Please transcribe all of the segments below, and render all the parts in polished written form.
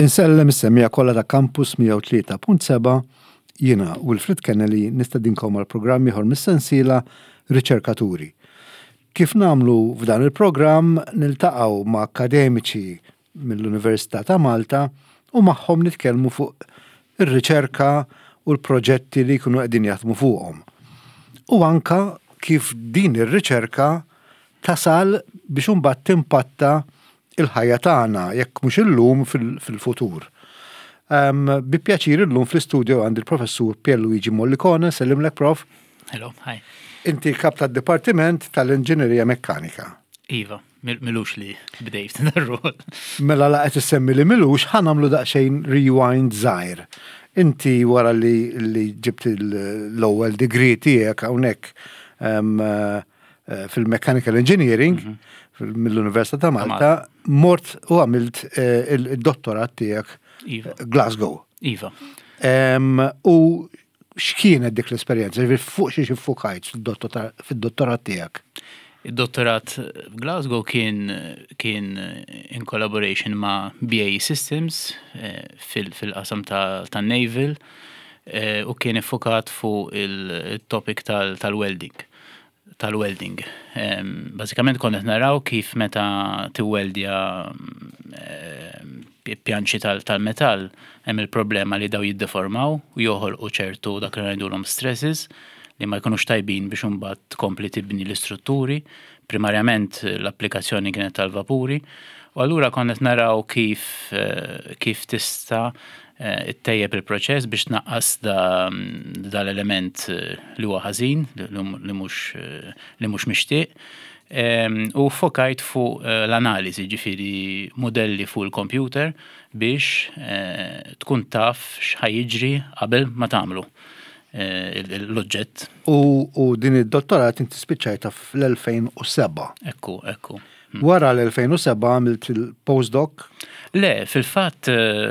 Insellem is-semmiegħa kollha ta' Campus 103.7, jiena Wilfred Kennelly nistedinkom għal programm ieħor mis-sensiela Riċerkaturi. Kif nagħmlu f'dan il-programm niltaqgħu ma' akkademiċi mill-Università ta' Malta u magħhom nitkellmu fuq ir-riċerka u l-proġetti li jkunu qegħdin jaħdmu fuqhom. U anka kif din ir-riċerka tasal biex imbagħad timpatta il-ħajja tagħna, jekk mhux illum fil-futur. Bi pjaċir illum fl-istudio għandi l-professur Pierluigi Mollicone, sellimlek prof. Hello, hi. Inti kap tad-Dipartiment tal-Inġinerija Mekkanika. Iva, milux li bdejt dar-rol. Mela la qed issemmi li milux, ħa nagħmlu daqsxejn rewind żgħir. Inti wara li ġibt l-ewwel degree tiegħek hawnhekk fil-Mechanical Engineering mill-Università ta' Malta, mort u għamilt il-dottorat tiegħek iva. Glasgow. Iva. U x'kienet dik l-esperjenza? Ġifieri fuq xiex iffukajt fid-dottorat tiegħek? Id-dottorat f'Glasgow kien kien in collaboration ma' BAE Systems fil-qasam ta' naval u kien iffukat fuq il-topic tal-welding. Tal-welding. Bażikament konna naraw kif meta tiweldja pjanċi tal-metall hemm il-problema li daw jiddeformaw u joħolqu ċertu dak li ngħidulhom stresses li ma jkunux tajbin biex imbagħad tkompli tibni l-istrutturi. Primarjament l-applikazzjoni kienet tal-vapuri. U allura konna naraw kif kif tista' ittejjeb il-proċess biex tnaqqas dal-element li huwa ħażin, li mhux mixtieq. U fokajt fuq l-analiżi, ġifieri modelli fuq il-computer biex tkun taf x'ħa jiġri qabel ma tagħmlu l-oġġett. U din id-dottorat inti spiċċajta fl-2007. Ekku. Wara l-2007 għamilt il-postdoc? Le, fil-fatt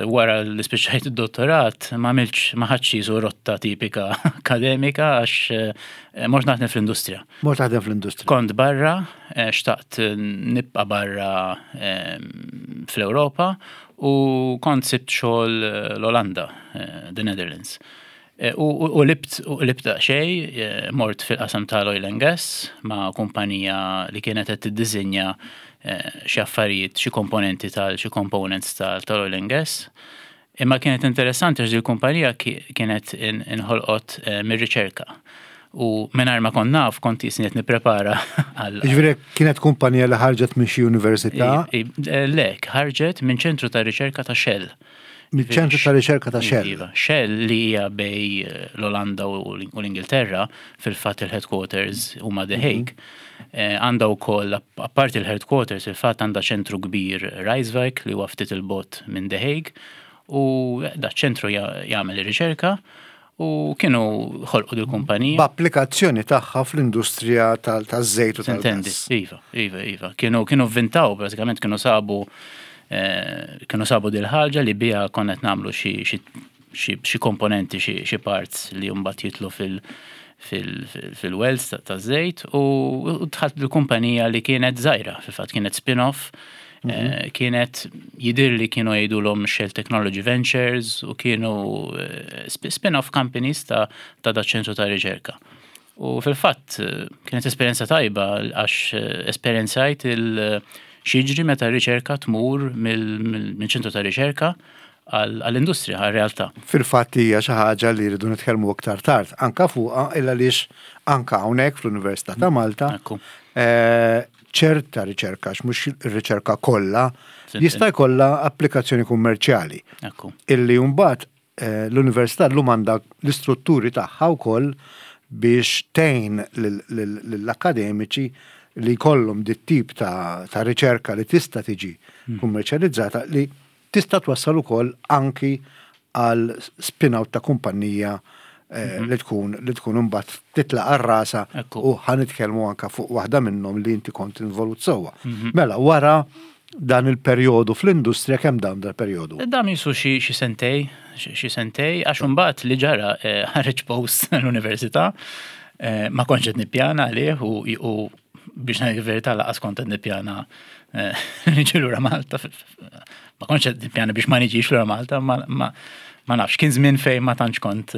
wara li spiċċajt id-dottorat ma għamiltx, ma ħadtx jisu rotta tipika akademika għax mort naħdem fl-industrija. Mort taħdem fl-industrija. Kont barra, xtaqt nibqa' barra fl-Ewropa u kont sibt xogħol l-Olanda, the Netherlands. U libt xej, mort fil-qasam tal-oil and gas ma' kumpanija li kienet qed tiddisinja xi affarijiet, xi komponenti tal xi components tal-oil and gas. Imma kienet interessanti għax il-kumpanija kienet inħolqot mir-riċerka. U mingħajr ma kont naf, kont jisni qed nipprepara għal. Ġifieri kienet kumpanija li ħarġet minn xi università? Le, ħarġet minn ċentru ta' riċerka ta' Shell. Mill-ċentru ta' riċerka ta' Shell. Iva, Shell li hija bejn l-Olanda u l-Ingilterra, fil-fatt il-headquarters huma The Hague. Għandha wkoll, apparti il-headquarters, il-fatt għandha ċentru kbir Rijswijk li huwa ftit il-bogħod minn The Hague u da ċentru jagħmel ir-riċerka u kienu ħolqu dil kumpanija. B'applikazzjoni tagħha fl-industrija taż-żejt u tal-gas. Iva. Kienu vvintaw, bażikament kienu sabu dil-ħaġa li biha konna qed nagħmlu xi komponenti, xi parts li mbagħad jidħlu fil-wells ta' żejt u dħalt il-kumpanija li kienet żgħira, fil-fatt kienet spin-off, kienet jidir li kienu jgħidulhom Shell Technology Ventures u kienu spin-off companies ta' da ċentru ta' riċerka. U fil-fatt kienet esperjenza tajba għax esperjenzajt il x'jiġri meta r-riċerka tmur mill-ċentru ta' riċerka għall-industrija, għal-realtà. Fil-fatt hija xi ħaġa li rridu nitkellmu aktar tard anka fuqha illa għaliex anka hawnhekk fl-Università ta' Malta ċerta riċerka, għax mhux ir-riċerka kollha, jista' jkollha applikazzjoni kummerċjali. Illi mbagħad l-università llum għandha l-istrutturi tagħha wkoll biex tgħin lill-akademiċi li jkollhom dit tip ta' riċerka li tista' tiġi kummerċjalizzata, li tista' twassal ukoll anki għal spin-out ta' kumpanija li tkun imbagħad titlaq għal rasha u ħa nitkellmu anka fuq waħda minnhom li inti kont involut sewwa. Mela wara dan il-perjodu fl-industrija, kemm dan dal-perjodu? Dam jisu xi sentej, xi sentej, għax imbagħad li ġara ħareġ post l-università, ma kontx qed nippjana għalih u biex ngħid il-verità lanqas kont qed nippjana niġi lura Malta. Ma kontx qed nippjana biex ma niġix lura Malta, ma, ma, ma nafx, kien żmien fejn ma tantx kont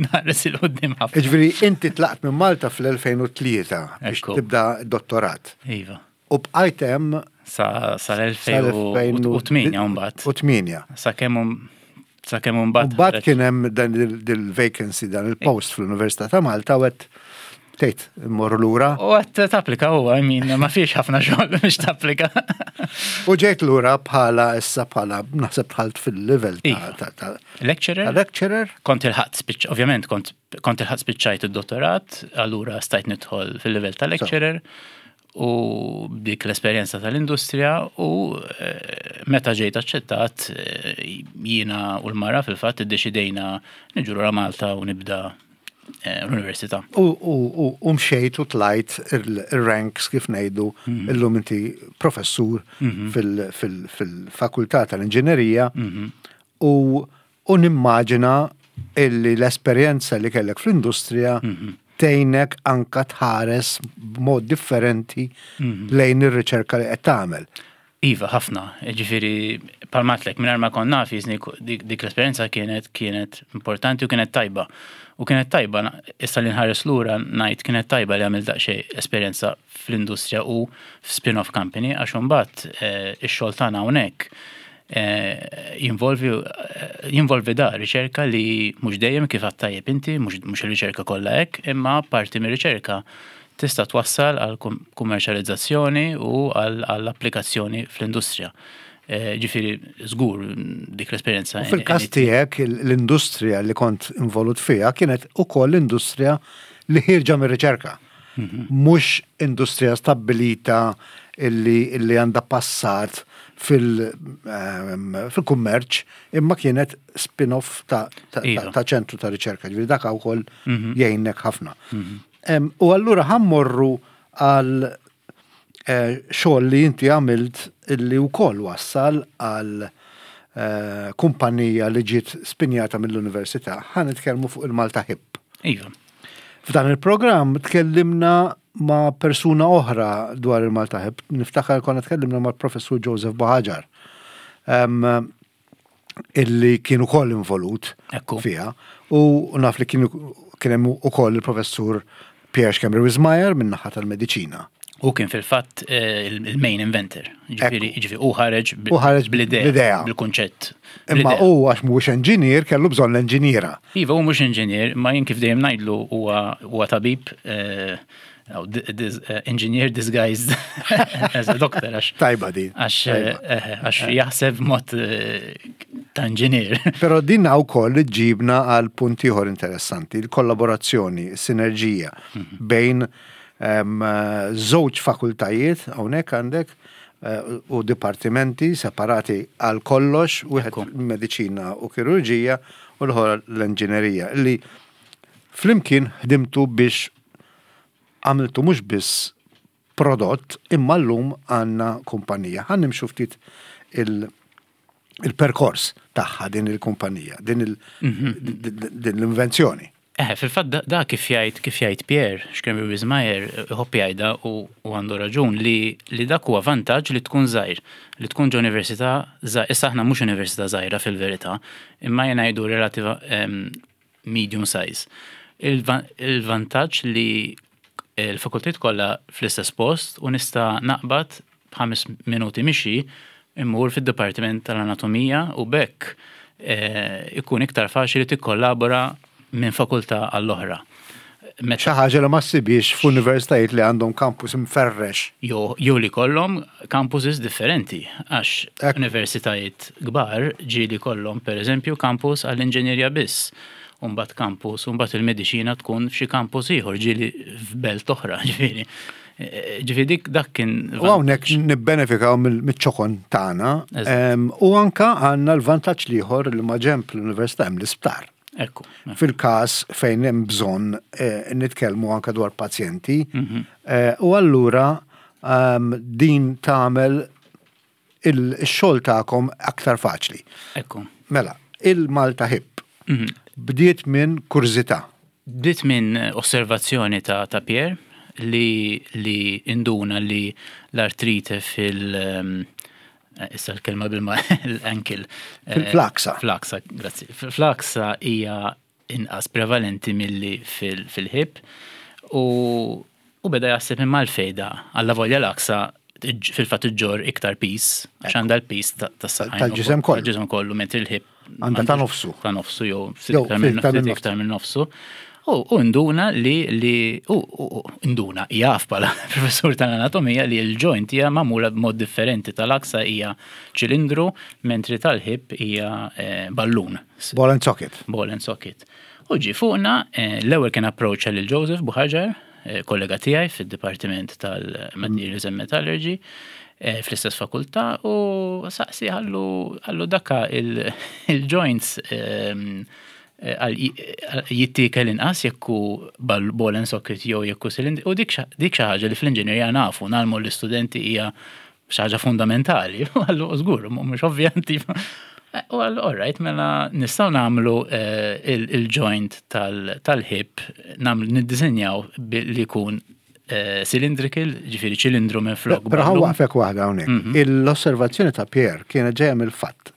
nħares 'il quddiem ħafna. Jiġifieri inti tlaqt minn Malta fl-2003 biex tibda dottorat. Iva. U bqajt hemm sa sal-2008 mbagħad. U 8. Sakemm sakemm imbagħad. Mbagħad kien hemm dan il-vacancy dan il-post fl-Università ta' Malta u għedt tgħid immorru lura. U għedt tapplika huwa, I mean, ma fiex ħafna xogħol biex tapplika. U ġejt lura bħala issa bħala naħseb dħalt fil-level iva. ta' lecturer. Lecturer. Kont il-ħadd spiċ, ovvjament kont kont il-ħadd spiċċajt id-dottorat, allura stajt nidħol fil-level ta' lecturer. U dik l-esperjenza tal-industrija u eh, meta ġejt aċċettat eh, jiena u l-mara fil-fatt iddeċidejna niġu lura Malta u nibda eh, l-università. U mxejt u tlajt il-ranks kif ngħidu mhm. illum inti professur mhm. fil-fakultà tal-inġinerija mhm. u U nimmaġina illi l-esperjenza li kellek fl-industrija tgħinek anka tħares b'mod differenti lejn ir-riċerka li qed tagħmel. Iva, ħafna. Ġifieri, bħalma għedtlek, mingħajr ma kont naf, jiżni dik l-esperjenza kienet kienet importanti u kienet tajba. U kienet tajba, issa li nħares lura ngħid kienet tajba li għamilt daqsxejn esperjenza fl-industrija u f'spin-off company għax imbagħad eh, ix-xogħol tagħna hawnhekk eh, jinvolvi eh, jinvolvi da riċerka li mhux dejjem kif għadt tajjeb inti, mhux ir-riċerka kollha hekk, imma parti mir-riċerka tista' twassal għal kummerċjalizzazzjoni u għal applikazzjoni fl-industrija. Eh, ġifieri, żgur dik l-esperjenza. Fil-każ tiegħek l-industrija li kont involut fiha kienet ukoll l-industrija li ħierġa mir-riċerka. Mhux industrija stabbilita illi, illi għandha passat fil-kummerċ, imma kienet spin-off ta', ta, iva. ta, ċentru ta' riċerka, ġifieri dak wkoll mhm. jgħinek ħafna. Mhm. U allura ħammorru għal eh, xogħol li inti għamilt illi wkoll wassal għal eh, kumpanija li ġiet spinjata mill-università, ħa nitkellmu fuq il-Malta Hip. Iva. F'dan il-programm tkellimna ma' persuna oħra dwar il-Malta Hip. Niftakar konna tkellimna mal-professur Joseph Buhagiar. Um, illi kien ukoll involut fiha. U naf li kien kien hemm ukoll il-professur Pierre Schembri Wismayer min-naħa tal-mediċina. U kien fil-fatt eh, il-main inventor. Ġifieri u ħareġ bl-idea, bil-kunċett. Imma u għax mhuwiex enġinier kellu bżonn l-enġiniera. Iva, u mhux enġinier, ma jien kif dejjem ngħidlu huwa tabib eh, eh, engineer disguised as a doctor għax. Tajba din. Għax jaħseb mod ta' engineer. Però din wkoll ġibna għal punt ieħor interessanti, il-kollaborazzjoni, sinerġija mhm. bejn Żewġ fakultajiet hawnhekk għandek eh, u dipartimenti separati għal kollox, wieħed mediċina u kirurġija u l-ħor l-inġinerija li flimkien ħdimtu biex għamiltu mhux biss prodott imma llum għandna kumpanija. Ħa nimxu ftit il-perkors tagħha din il-kumpanija, din l-invenzjoni. Eħe, fil-fatt da kif jgħid kif jgħid Pierre, Schembri Wismayer, iħobb jgħidha u għandu raġun li li dak huwa vantaġġ li tkun żgħir, li tkun ġo università żgħir. Issa aħna mhux università żgħira fil-verità, imma jien ngħidu relativa medium size. Il-vantaġġ li l-fakultajiet kollha fl-istess post u nista' naqbad b'ħames minuti mixi immur fid-dipartiment tal-anatomija u b'hekk ikun iktar faċli tikkollabora minn fakultà għall-oħra. Xi ħaġa li ma ssibhiex f'universitajiet li għandhom campus imferrex. Jew li jkollhom campuses differenti għax universitajiet kbar ġieli jkollhom pereżempju campus għall-inġenjerja biss u mbagħad campus u mbagħad il-mediċina tkun f'xi campus ieħor ġieli f'belt oħra ġifieri. Ġifieri dik dak kien. U hawnhekk nibbenefikaw miċ-ċokon tagħna. U anka għandna l-vantaġġ l-ieħor li maġenb l-università hemm l-isptar. Ekku. Fil-każ fejn hemm bżonn eh, nitkellmu anka dwar pazjenti. Mhm. Eh, u allura ehm, din tagħmel il-xogħol tagħkom aktar faċli. Ekku. Mela, il-Malta Hip mhm. bdiet minn kurżità. Bdiet minn osservazzjoni ta', ta Pierre li, li induna li l-artrite fil- ehm, Issa l-kelma bil-ma l-ankle. Fil-flaksa. Flaksa, grazzi. Flaksa hija inqas prevalenti milli fil-hip u u beda jaħseb imma l-fejda alla volja l-aksa fil-fatt iġġor iktar pis, għax għandha l-pis tas-saqajn. Tal-ġisem kollu. Tal-ġisem kollu, mentri l-hip. Għandha ta' nofsu. Ta' nofsu jew ftit iktar minn nofsu. U nduna li li u nduna jaf bħala professur tal-anatomija li l-joint hija magħmula b'mod differenti tal-aksa hija ċilindru mentri tal-hip hija eh, ballun. Ball and socket. Ball and socket. U ġi fuqna eh, l-ewwel kien approċċa lil Joseph Buħaġar, eh, kollega tiegħi fid-Dipartiment tal-Materials and Metallurgy fl-istess fakultà u saqsi għallu għallu dakka il-joints ehm, jittiekel inqas jekk hu ball and socket jew jekk hu cylinder u dik xi ħaġa li fl-inġinerija nafu nagħlmu l-istudenti hija xi ħaġa fundamentali. Għallu żgur, mhux ovvjament. U għallu all right, mela nistgħu nagħmlu eh, il-joint tal-hip nagħmlu niddisinjaw li jkun eh, cylindrical, ġifieri ċilindru minn flok. Però ħa waqfek waħda hawnhekk. Mhm. L-osservazzjoni ta' Pierre kienet ġejja mill-fatt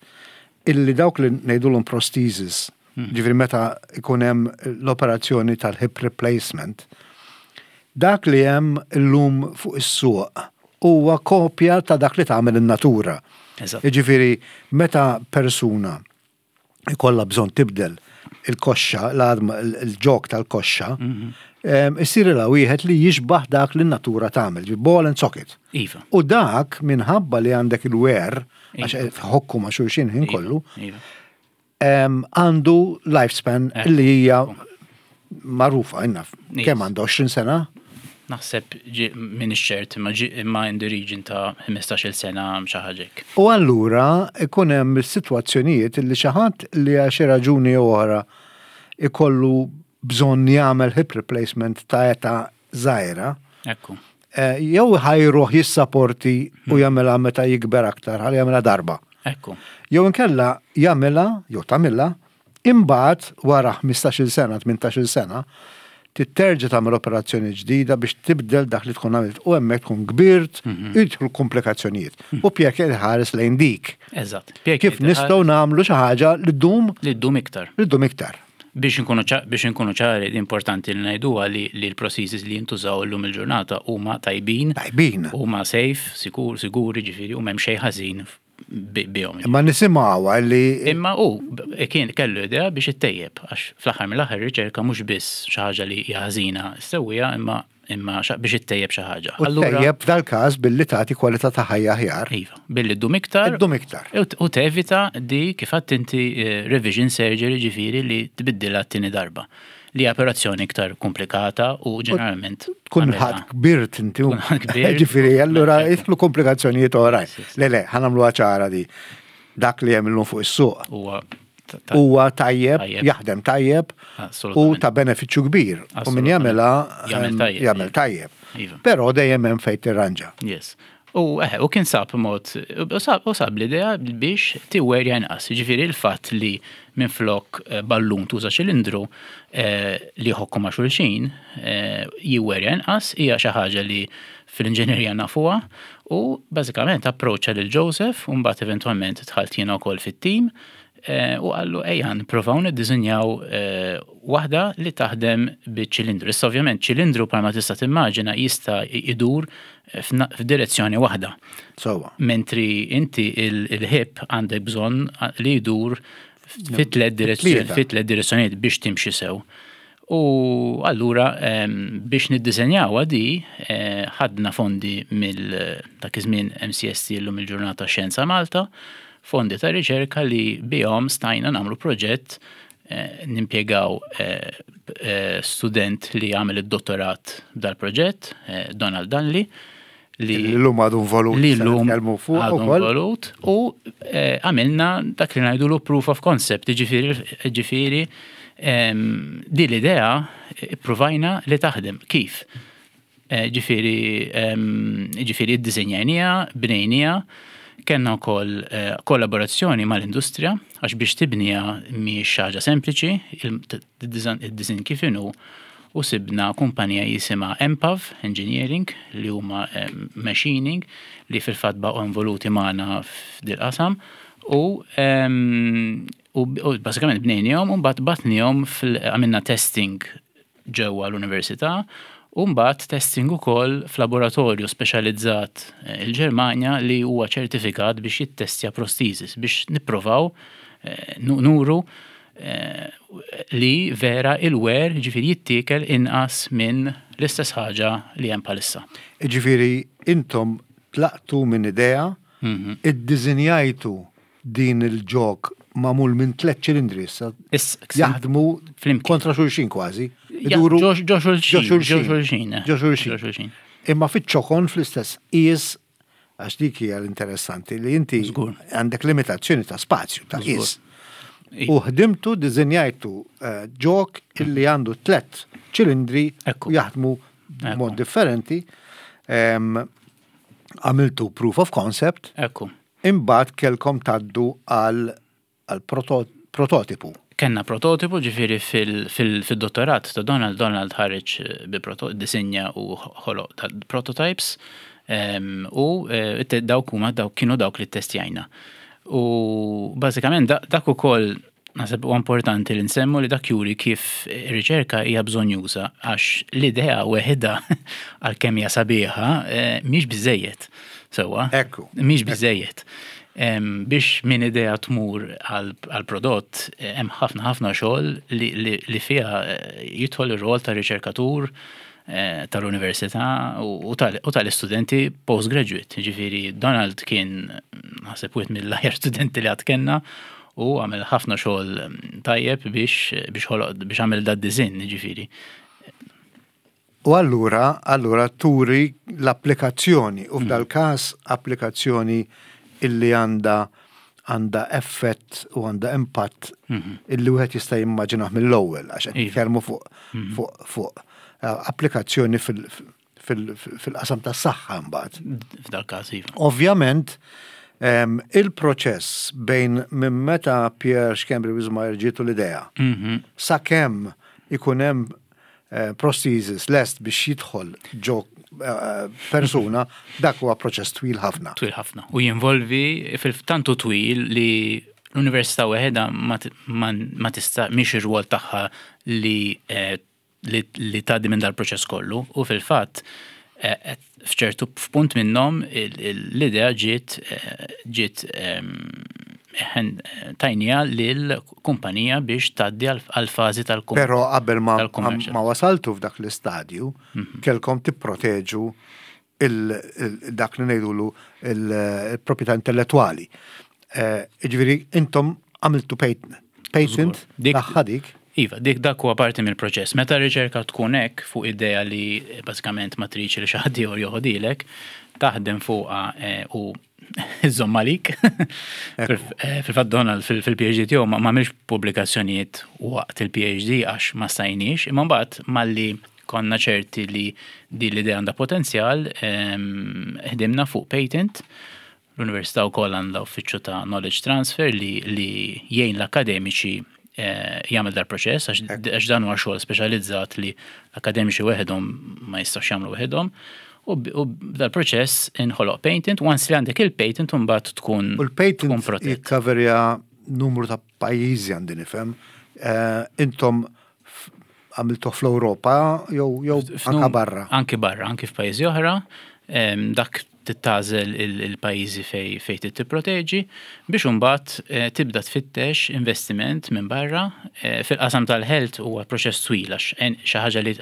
illi dawk li ngħidulhom prosthesis, ġifieri meta jkun hemm l-operazzjoni tal-hip replacement, dak li hemm illum fuq is-suq huwa kopja ta' dak li tagħmel in-natura. Jiġifieri meta persuna ikollha bżonn tibdel il-koxxa, l-għadma, il-ġog tal-koxxa, issirilha wieħed li jixbah dak li n-natura tagħmel, ball and socket. Iva. U dak minħabba li għandek il-wear, għax ħokku ma' xulxin ħin iva, kollu, iva. għandu lifespan eh. li hija magħrufa inna kemm għandu 20 sena? Naħseb minn ċert imma in the region ta' 15-il sena xi ħaġa U allura ikun hemm sitwazzjonijiet li xi ħadd li għal xi raġuni jew oħra ikollu bżonn jagħmel hip replacement ta' età żgħira. Ekku. Eh, jew ħajruh jissaporti u hmm. jagħmilha meta jikber aktar, ħalli jagħmilha darba. Ekku. Jew inkella jagħmilha, jew tagħmilha, imbagħad wara 15-il sena, 18-il sena, titterġa tagħmel operazzjoni ġdida biex tibdel dak li tkun għamilt u hemmhekk tkun kbirt, mhm. jidħlu komplikazzjonijiet. Mhm. U Pierre kien ħares lejn dik. Eżatt. Kif nistgħu nagħmlu xi ħaġa li ddum li ddum iktar. Li ddum iktar. Biex inkunu biex inkunu ċari, importanti li ngħiduha li li l-prosthesis li jintużaw illum il-ġurnata huma tajbin. Tajbin. Huma safe, sikur, siguri, ġifieri u m'hemm xejn ħażin bihom. Imma nisimgħuha li. Imma hu kien kellu idea biex ittejjeb għax fl-aħħar mill-aħħar ir-riċerka mhux biss xi ħaġa li hija ħażina ssewwiha imma imma biex ittejjeb xi ħaġa. U tejjeb f'dal-każ billi tagħti kwalità ta' ħajja aħjar. Iva, billi ddum iktar. Iddum iktar. U tevita di kif għedt inti eh, revision surgery ġifieri li tbiddilha t-tieni darba. Li operazzjoni iktar komplikata u ġeneralment. Tkun ħadd kbirt inti. Ġifieri allura jidħlu komplikazzjonijiet oħrajn. Le le, ħanamlu ċara di. Dak li hemm illum fuq is-suq. Huwa huwa tajjeb, jaħdem tajjeb u ta' benefiċċju kbir. U min jagħmilha jagħmel tajjeb. Iva. Però dejjem hemm fejn tirranġa. Yes. U eh, u kien sab mod, u sab l-idea biex tiwerja inqas. Ġifieri il-fatt li minflok eh, ballun tuża ċilindru eh, li jħokku ma' xulxin jiwerja inqas hija xi ħaġa li fil-inġinerija nafuha u bażikament approċċa lil Joseph u mbagħad eventwalment dħalt jiena wkoll fit-tim eh, u qallu ejja nipprovaw niddisinjaw eh, waħda li taħdem biċ-ċilindru. Issa ovvjament ċilindru bħalma tista' timmaġina jista' idur f'direzzjoni waħda. Sewwa. Mentri inti il-ħib għandek bżonn li jdur fit tliet direzzjonijiet biex timxi sew. U allura biex niddisenjawha di eh, ħadna fondi mill dak iż-żmien MCST llum il-ġurnata Xjenza Malta, fondi ta' riċerka li bihom stajna nagħmlu proġett eh, nimpjegaw eh, student li għamel id-dottorat dal-proġett, Donald Dunley, li l-lum għadu involut. Li l-lum għadu involut u eh, għamilna dak li ngħidulu proof of concept, ġifieri ehm, di l-idea eh, provajna li taħdem. Kif? Eh, ġifieri ehm, ġifieri iddisinjajnija, bnejnija, kellna wkoll kollaborazzjoni mal-industrija għax biex tibnija mhijiex xi ħaġa sempliċi, id-disin kif inhu. U sibna kumpanija jisimha Empav Engineering li huma machining li fil-fatt baqgħu involuti magħna f'dil-qasam u u bażikament bnejniehom u mbagħad bgħatniehom għamilna testing ġewwa l-università u mbagħad testing ukoll f'laboratorju speċjalizzat il-Ġermanja li huwa ċertifikat biex jittestja prosthesis biex nipprovaw nuru li vera il-wear ġifieri jittiekel inqas minn l-istess ħaġa li hemm bħalissa. Ġifieri intom tlaqtu minn idea, iddiżinjajtu din il-ġog magħmul minn tlett ċilindri issa jaħdmu kontra xulxin kważi. Iduru ġo xulxin. Ġo xulxin. Ġo xulxin. Imma fiċ-ċokon fl-istess qies għax dik hija l-interessanti li inti għandek limitazzjoni ta' spazju ta' qies. U ħdimtu, diżinjajtu ġog illi għandu tlett ċilindri u jaħdmu b'mod differenti. Għamiltu proof of concept. Ekku. Imbagħad kellkom tgħaddu għal prototipu. Kellna prototipu ġifieri fil-dottorat ta' Donald, Donald ħareġ bi disinja u ħoloq ta' prototypes u dawk huma dawk kienu dawk li ttestjajna. U bażikament dak ukoll naħseb huwa importanti li nsemmu li dak juri kif ir-riċerka hija bżonjuża għax l-idea weħidha għalkemm hija sabiħa mhix biżejjed. Sewwa? Ekku. Mhix biżejjed. Biex minn idea tmur għal prodott hemm ħafna ħafna xogħol li fiha jidħol ir-rol ta' riċerkatur tal-università u tal-istudenti postgraduate. Ġifieri Donald kien naħseb wieħed mill-aħjar studenti li qatt kellna u għamel ħafna xogħol tajjeb biex biex ħoloq biex għamel dad-disinn, ġifieri. U allura, allura turi l-applikazzjoni u f'dal-każ applikazzjoni illi għandha għandha effett u għandha impatt illi wieħed jista' jimmaġinah mill-ewwel għax qed nitkellmu fuq fuq fuq applikazzjoni fil-qasam tas-saħħa mbagħad. F'dal-każ iva. Ovvjament, il-proċess bejn minn meta Pierre Schembri Wismayer ġietu l-idea sakemm ikun hemm prosthesis lest biex jidħol ġo persuna, dak huwa proċess twil ħafna. Twil ħafna. U jinvolvi fil-tantu twil li l-università weħedha ma tista' mhix ir-rwol tagħha li li tgħaddi minn dal-proċess kollu u fil-fatt f'ċertu f'punt minnhom l-idea ġiet ġiet tajnija lil kumpanija biex tgħaddi għal fażi tal-kummerċ. Però qabel ma ma wasaltu f'dak l-istadju, kellkom tipproteġu dak li ngħidulu il-proprjetà intellettwali. Jiġifieri intom għamiltu patent tagħha dik. Iva, dik dak huwa parti mill-proċess. Meta r-riċerka tkun hekk fuq idea li bażikament ma tridx li xi ħadd ieħor joħodilek, taħdem fuqha u iżżomm għalik. Fil-fatt Donald fil-PhD tiegħu ma għamilx pubblikazzjonijiet waqt il-PhD għax ma stajniex, imma mbagħad malli konna ċerti li din l-idea għandha potenzjal, ħdimna fuq patent. L-Università wkoll għandha uffiċċju ta' knowledge transfer li, li jgħin l-akademiċi jagħmel dal-proċess għax dan huwa xogħol speċjalizzat li l-akademiċi weħedhom ma jistgħux jagħmlu weħedhom. U dal-proċess inħoloq patent, once li għandek il-patent mbagħad tkun U l-patent jikkaverja numru ta' pajjiżi għandi nifhem. Intom għamiltu fl-Ewropa jew jew anka barra? Anki barra, anki f'pajjiżi oħra. Dak tagħżel il-pajjiżi fej trid tipproteġi biex imbagħad tibda tfittex investiment minn barra. Fil-qasam tal-health huwa proċess twil għax xi ħaġa li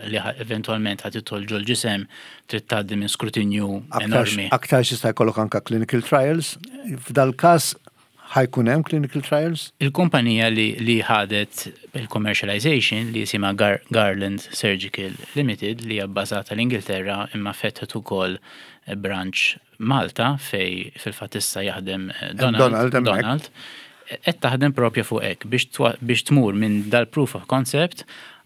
eventwalment ħa tidħol ġol-ġisem trid tgħaddi minn skrutinju enormi. Aktar jista' jkollok anka clinical trials. F'dal-każ ħa jkun hemm clinical trials? Il-kumpanija li ħadet il-commercialization li jisimha Garland Surgical Limited li hija bbażata l-Ingilterra imma fetħet ukoll branch Malta fej fil-fatt issa jaħdem Donald. Donald, hemmhekk. Donald. Qed taħdem propja fuq hekk biex tmur minn dal-proof of concept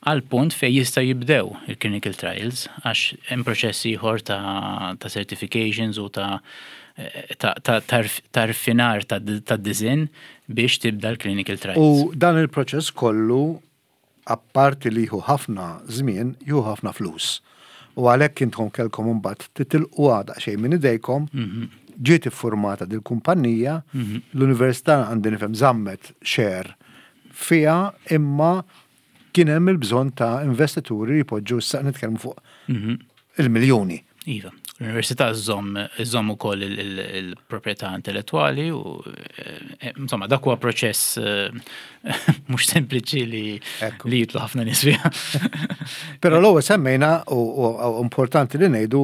għal punt fej jista' jibdew il-clinical trials għax hemm proċess ieħor ta' certifications u ta' rfinar ta' design biex tibda l-clinical trials. U dan il-proċess kollu apparti li jieħu ħafna żmien, jieħu ħafna flus. U għalhekk intom kellkom imbagħad titilquha daqsxejn minn idejkom, ġiet iffurmata dil-kumpanija, l-università għandi nifhem żammet share fiha imma kien hemm il-bżonn ta' investituri li jpoġġu issa nitkellmu fuq il-miljuni. Iva, l-Università żżomm iżżomm ukoll il-proprjetà intellettwali u eh, insomma dak huwa proċess eh, mhux sempliċi li li jitlu ħafna nies fiha. Però l-ewwel semmejna u importanti li ngħidu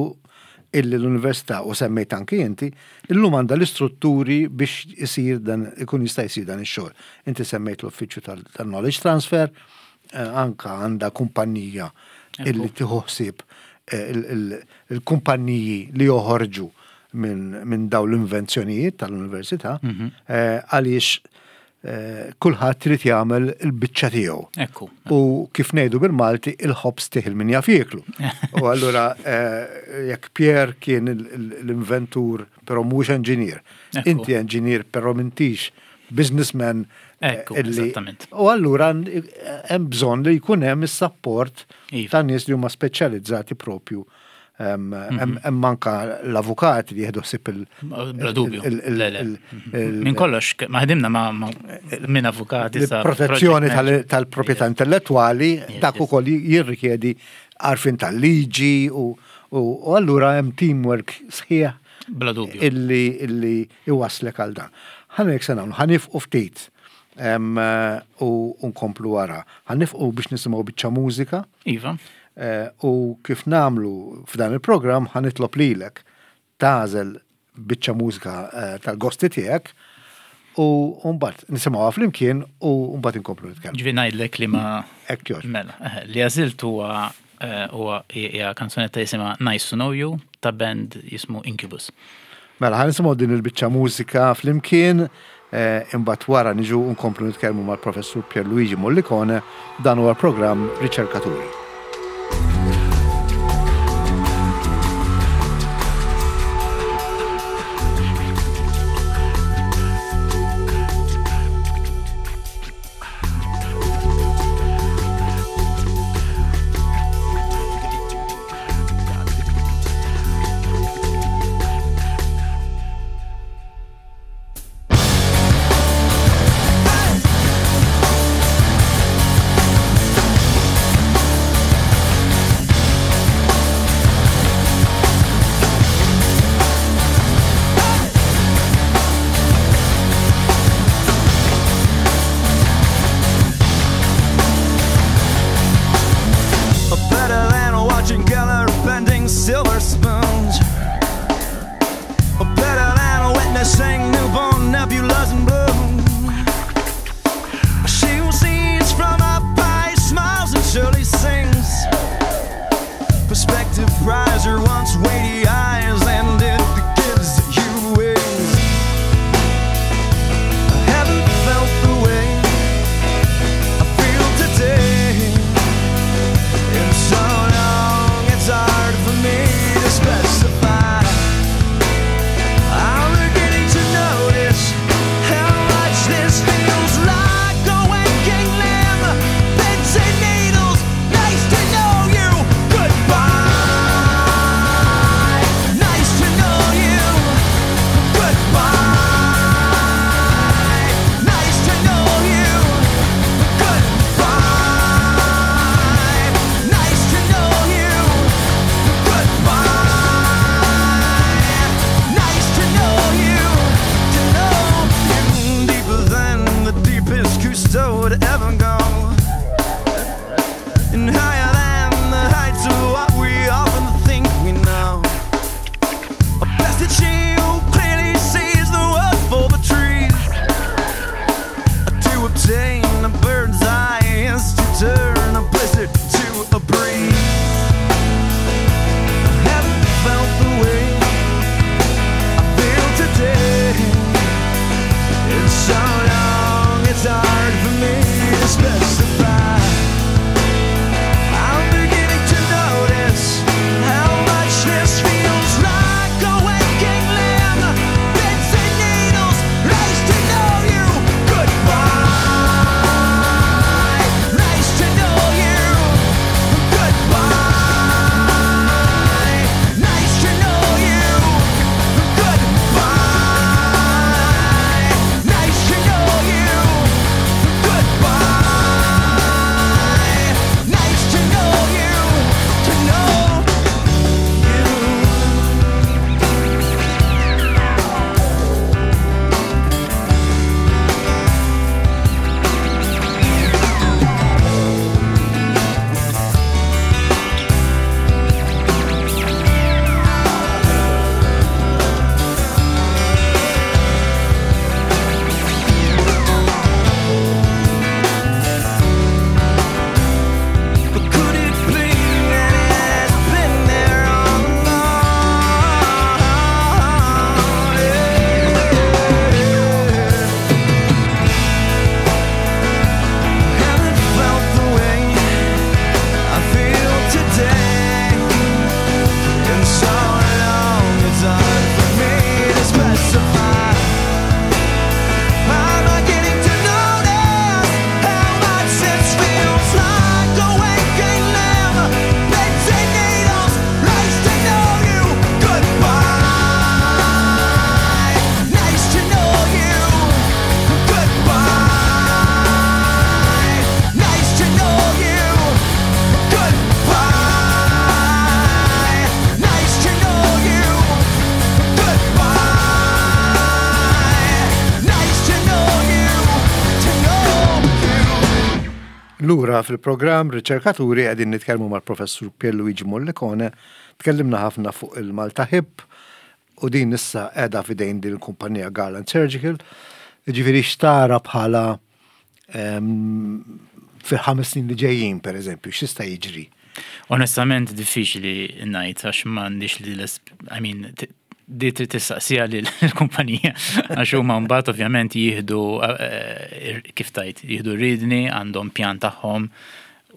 illi l-università u semmejt anki inti, illum għandha l-istrutturi biex isir dan ikun jista' jsir dan ix-xogħol. Inti semmejt l-uffiċċju tal-knowledge transfer, eh, anka għandha kumpanija illi tieħu ħsieb eh, il-kumpanniji li joħorġu minn dawn l-invenzjonijiet tal-università mhm. eh, għaliex kulħadd trid jagħmel il-biċċa tiegħu. Ekku. U kif ngħidu bil-Malti il-ħobż tih min jaf jieklu. U allura jekk Pierre kien l-inventur però mhux enġinier. Inti enġinier però m'intix businessman. Ekku, eżattament. U allura hemm bżonn li jkun hemm is-sapport iva. ta' nies li huma speċjalizzati propju. Mhm. Hemm anka l-avukati li jieħdu ħsieb il- Bla dubju. Minn kollox, ma ħdimna ma minn avukati sa. Protezzjoni tal-proprjetà intellettwali dak ukoll jirrikjedi għarfien tal-liġi u allura hemm teamwork sħiħ Bla dubju. Illi illi iwasslek għal dan. Ħa ngħidlek se nagħmlu, ħa nifqu ftit u nkomplu wara. Ħa nifqu biex nisimgħu biċċa mużika. Iva. Eh, u kif nagħmlu f'dan il-programm ħa nitlob lilek tagħżel biċċa mużika eh, tal-gosti tiegħek u mbagħad nisimgħuha flimkien u mbagħad inkomplu nitkellmu. Ġifieri ngħidlek li ma Hekk jogħġbok. Mela, eh, li għażilt huwa eh, huwa hija kanzunetta jisimha Nice to Know You ta' band jismu Incubus. Mela, ħa nisimgħu din il-biċċa mużika flimkien, eh, imbagħad wara niġu nkomplu nitkellmu mal-Professur Pierluigi Mollicone, dan huwa l-programm Riċerkaturi. Lura fil-programm Riċerkaturi qegħdin nitkellmu mal-Professur Pierluigi Mollicone, tkellimna ħafna fuq il-Malta Hip u din issa qiegħda f'idejn din il-kumpanija Garland Surgical. Ġifieri x'tara bħala ehm, fil-ħames snin li ġejjin, per eżempju, x'jista' jiġri? Onestament diffiċli ngħid għax m'għandix li I mean, di trid tistaqsija lill-kumpanija għax huma mbagħad ovvjament jieħdu eh, kif tajt, jieħdu ridni, għandhom pjan tagħhom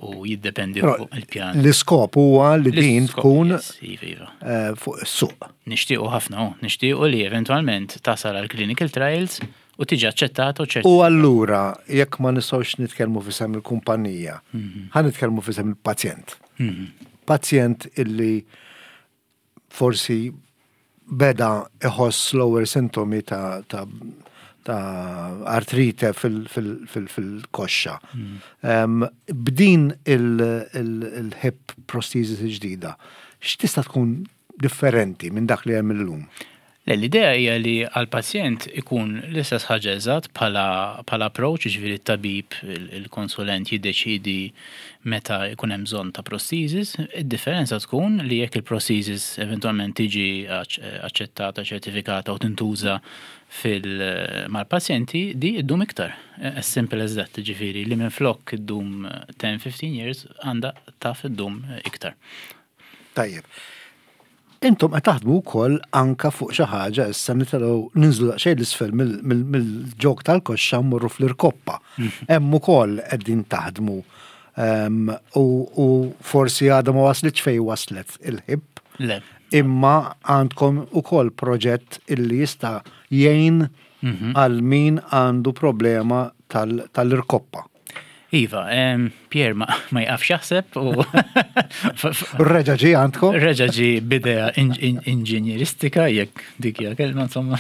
u jiddependi fuq il-pjan. L-iskop huwa li din tkun iva, iva. Eh, fuq is-suq. Nixtiequ ħafna, oh, nixtiequ li eventwalment tasal għal clinical trials u tiġi aċċettata u ċertifikata. U allura, jekk ma nistgħux nitkellmu f'isem il-kumpanija, mhm. ħa nitkellmu f'isem il-pazjent. Mhm. Pazjent illi forsi beda iħoss l-ewwel sintomi ta', ta, ta artrite fil-koxxa. Mm. B'din il-hip prosthesis ġdida, x'tista' tkun differenti minn dak li hemm illum? Le, l-idea hija li għall-pazjent ikun l-istess ħaġa eżatt bħala bħala approach, jiġifieri t-tabib, il-konsulent jiddeċiedi meta jkun hemm bżonn ta' prosthesis. Id-differenza tkun li jekk il-prosthesis eventwalment tiġi aċċettata, ċertifikata u tintuża fil mal-pazjenti, di ddum iktar. As simple as that, jiġifieri li minflok iddum 10, 15 years għandha taf iddum iktar. Tajjeb. Intom qed taħdmu wkoll anka fuq xi ħaġa issa nitilgħu ninżlu daqsxejn l-isfel mill-ġog tal-koxxa mmorru fl-irkoppa. Mhm. Hemm ukoll qegħdin taħdmu ehm, u forsi għadha ma waslitx fejn waslet il-ħib. Le. Imma għandkom ukoll proġett illi jista' jgħin mhm. għal min għandu problema tal-irkoppa. Iva, Pier ma, ma jqafx jaħseb u. Reġa ġi għandkom? Reġa ġi bidea inġinjeristika, jekk dik hija kelma insomma.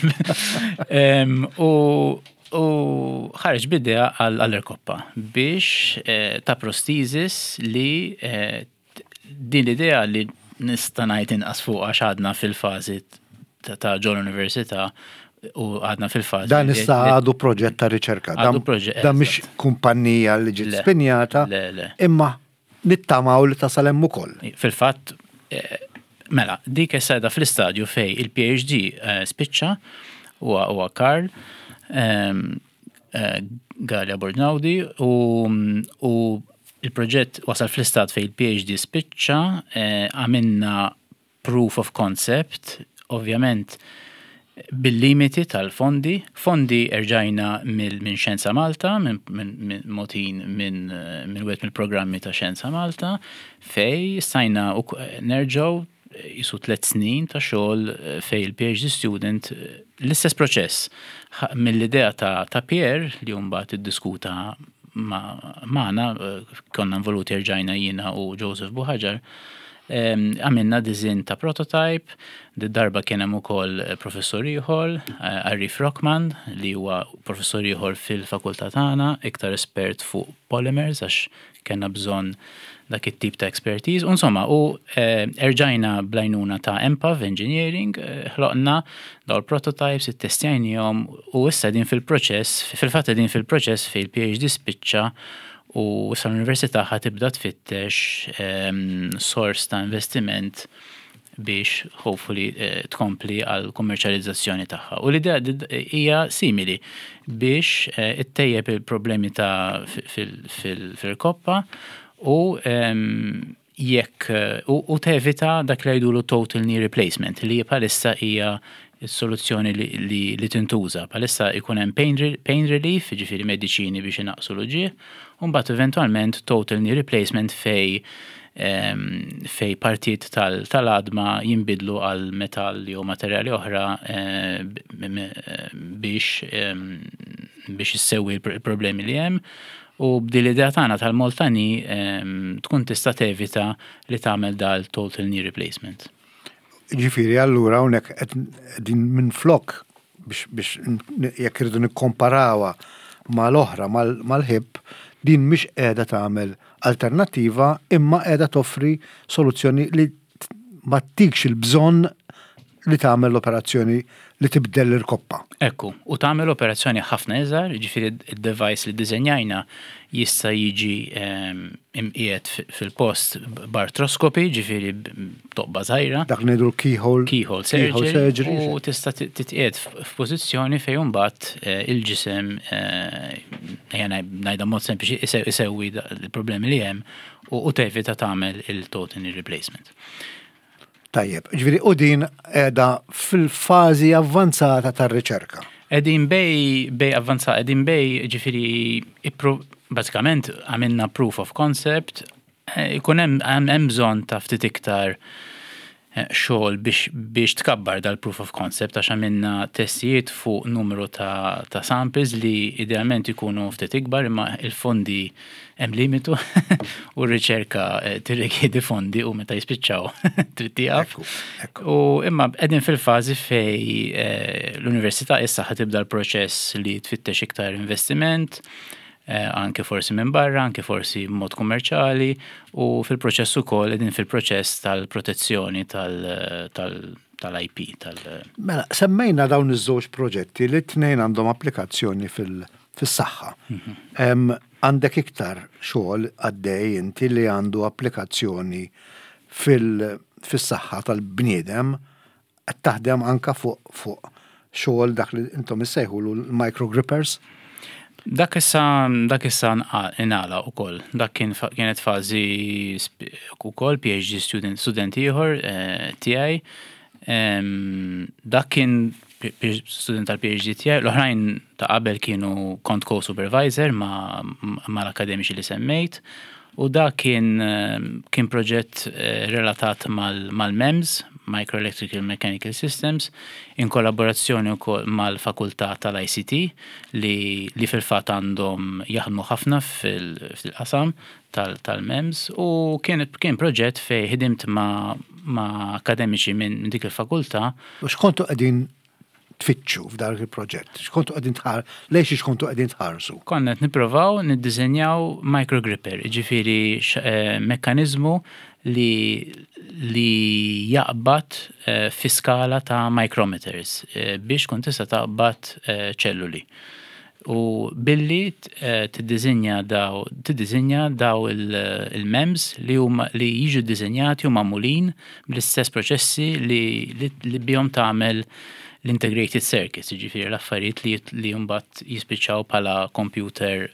U u ħareġ bidea għall-erkoppa biex eh, ta' prostizis li eh, Din l-idea li nista' ngħid inqas fuq għax għadna fil-fażi ta' ġol università u għadna fil-fażi. Dan issa għadu proġett ta' riċerka. Għadu proġett. Dan mhix kumpanija li ġiet spinjata. Imma nittamaw li tasal hemm ukoll. Fil-fatt, eh, mela, dik issa qiegħda fl-istadju fej il-PhD eh, spiċċa huwa Karl. Ehm, Eh, Galea Borgnaudi u, u il-proġett wasal fl-istat fej il-PhD spiċċa, eh, għamilna proof of concept, ovvjament bil-limiti tal-fondi. Fondi erġajna minn Xjenza Malta, minn motin minn wieħed mill-programmi ta' Xjenza Malta, fej stajna nerġgħu qisu tlett snin ta' xogħol fejn il-PhD student l-istess proċess mill-idea ta' ta' Pierre li mbagħad iddiskuta magħna konna involuti erġajna jiena u Joseph Buhaġar għamilna disinn ta' prototype, darba kien hemm ukoll professur ieħor, Arif Rockman, li huwa professur ieħor fil-fakultà tagħna, iktar espert fuq polymers għax Kellna bżonn dak it-tip ta' expertise. U insomma, u eh, erġajna blajnuna ta' MPAV Engineering, eh, ħloqna daw il-prototypes, ittestjajnihom u issa din fil-proċess, fil-fatt din fil-proċess fej il-PhD spiċċa u issa l-università ħa tibda tfittex ehm, sors ta' investiment biex hopefully eh, tkompli għal kummerċjalizzazzjoni tagħha. U l-idea hija simili biex eh, ittejjeb il-problemi ta' fil-koppa u ehm, jekk eh, u tevita dak li jgħidulu total knee replacement li bħalissa hija s-soluzzjoni li, li tintuża. Bħalissa jkun hemm pain, pain relief, ġifieri mediċini biex inaqqsu l-uġigħ, u mbagħad eventwalment total knee replacement fej fej partijiet tal-għadma jinbidlu għal metall jew materjali oħra eh, biex biex issewwi l-problemi li hemm u b'din l-idea tagħna tal-Moltani tkun tista' tevita li tagħmel dal total knee replacement. Ġifieri allura hawnhekk qegħdin minflok biex jekk irridu nikkomparawha mal-oħra mal-ħib, din mhix qiegħda tagħmel alternattiva imma qiegħda toffri soluzzjoni li ma ttikx il-bżonn li tagħmel l-operazzjoni li tibdel l-irkoppa. Ekku, u tagħmel operazzjoni ħafna iżgħar, jiġifieri d-device li ddiżenjajna jista' jiġi ehm, imqiegħed fil-post b'artroskopi, jiġifieri b'toqba żgħira. Dak li ngħidu keyhole. Keyhole surgery. surgery. U tista' titqiegħed f'pożizzjoni fejn imbagħad eh, il-ġisem eh, ejja ngħidha mod sempliċi isewwi l-problemi li hemm u tevita tagħmel il-total knee replacement. Tajjeb, ġifieri u din qiegħda fil-fażi avvanzata tar-riċerka. Qegħdin bej bej avvanzata, qegħdin bej ġifieri bażikament għamilna proof of concept, eh, ikun hemm bżonn ta' ftit iktar eh, xogħol biex, biex tkabbar dal-proof of concept għax għamilna testijiet fuq numru ta', ta samples li idealment ikunu ftit ikbar imma il-fondi Hemm limitu u r-riċerka eh, tirrikjedi fondi u meta jispiċċaw trid tieqaf. U imma qegħdin fil-fażi fej eh, l-università issa ħa tibda l-proċess li tfittex iktar investiment, eh, anke forsi minn barra, anke forsi mod kummerċali u fil-proċess ukoll qegħdin fil-proċess tal-protezzjoni tal-IP. Tal mela, semmejna dawn iż-żewġ proġetti li t-tnejn għandhom applikazzjoni fil- fis-saħħa. Mhm. Għandek iktar xogħol għaddej inti li għandu applikazzjoni fis-saħħa tal-bniedem qed taħdem anka fuq fuq xogħol dak li intom issejħulu l-microgrippers. Dak issa dak issa ingħala ukoll. Dak kien kienet fażi ukoll PhD student student ieħor eh, tiegħi. Dak kien student tal-PhD tiegħi, l-oħrajn ta' qabel kienu kont co-supervisor ma' mal-akademiċi li semmejt u dak kien kien proġett eh, relatat mal-MEMS, Micro Electrical Mechanical Systems, in kollaborazzjoni wkoll mal-fakultà tal-ICT li, li fil-fatt għandhom jaħdmu ħafna fil-qasam tal-MEMS u kien kien proġett fejn ħdimt ma' ma' akademiċi minn dik il-fakultà. U x'kontu qegħdin tfittxu f'dak il-proġett? X'kontu qegħdin tħar lejn xiex kontu qegħdin tħarsu? Konna qed nipprovaw niddiżenjaw microgripper, jiġifieri eh, mekkaniżmu li li jaqbad eh, fi skala ta' micrometers eh, biex kun tista' taqbad ċelluli. U billi tiddiżinja daw tiddiżinja daw il-MEMS li huma li jiġu ddiżinjati u magħmulin bl-istess proċessi li li bihom tagħmel l-integrated circuits, jiġifieri l-affarijiet li li mbagħad jispiċċaw bħala computer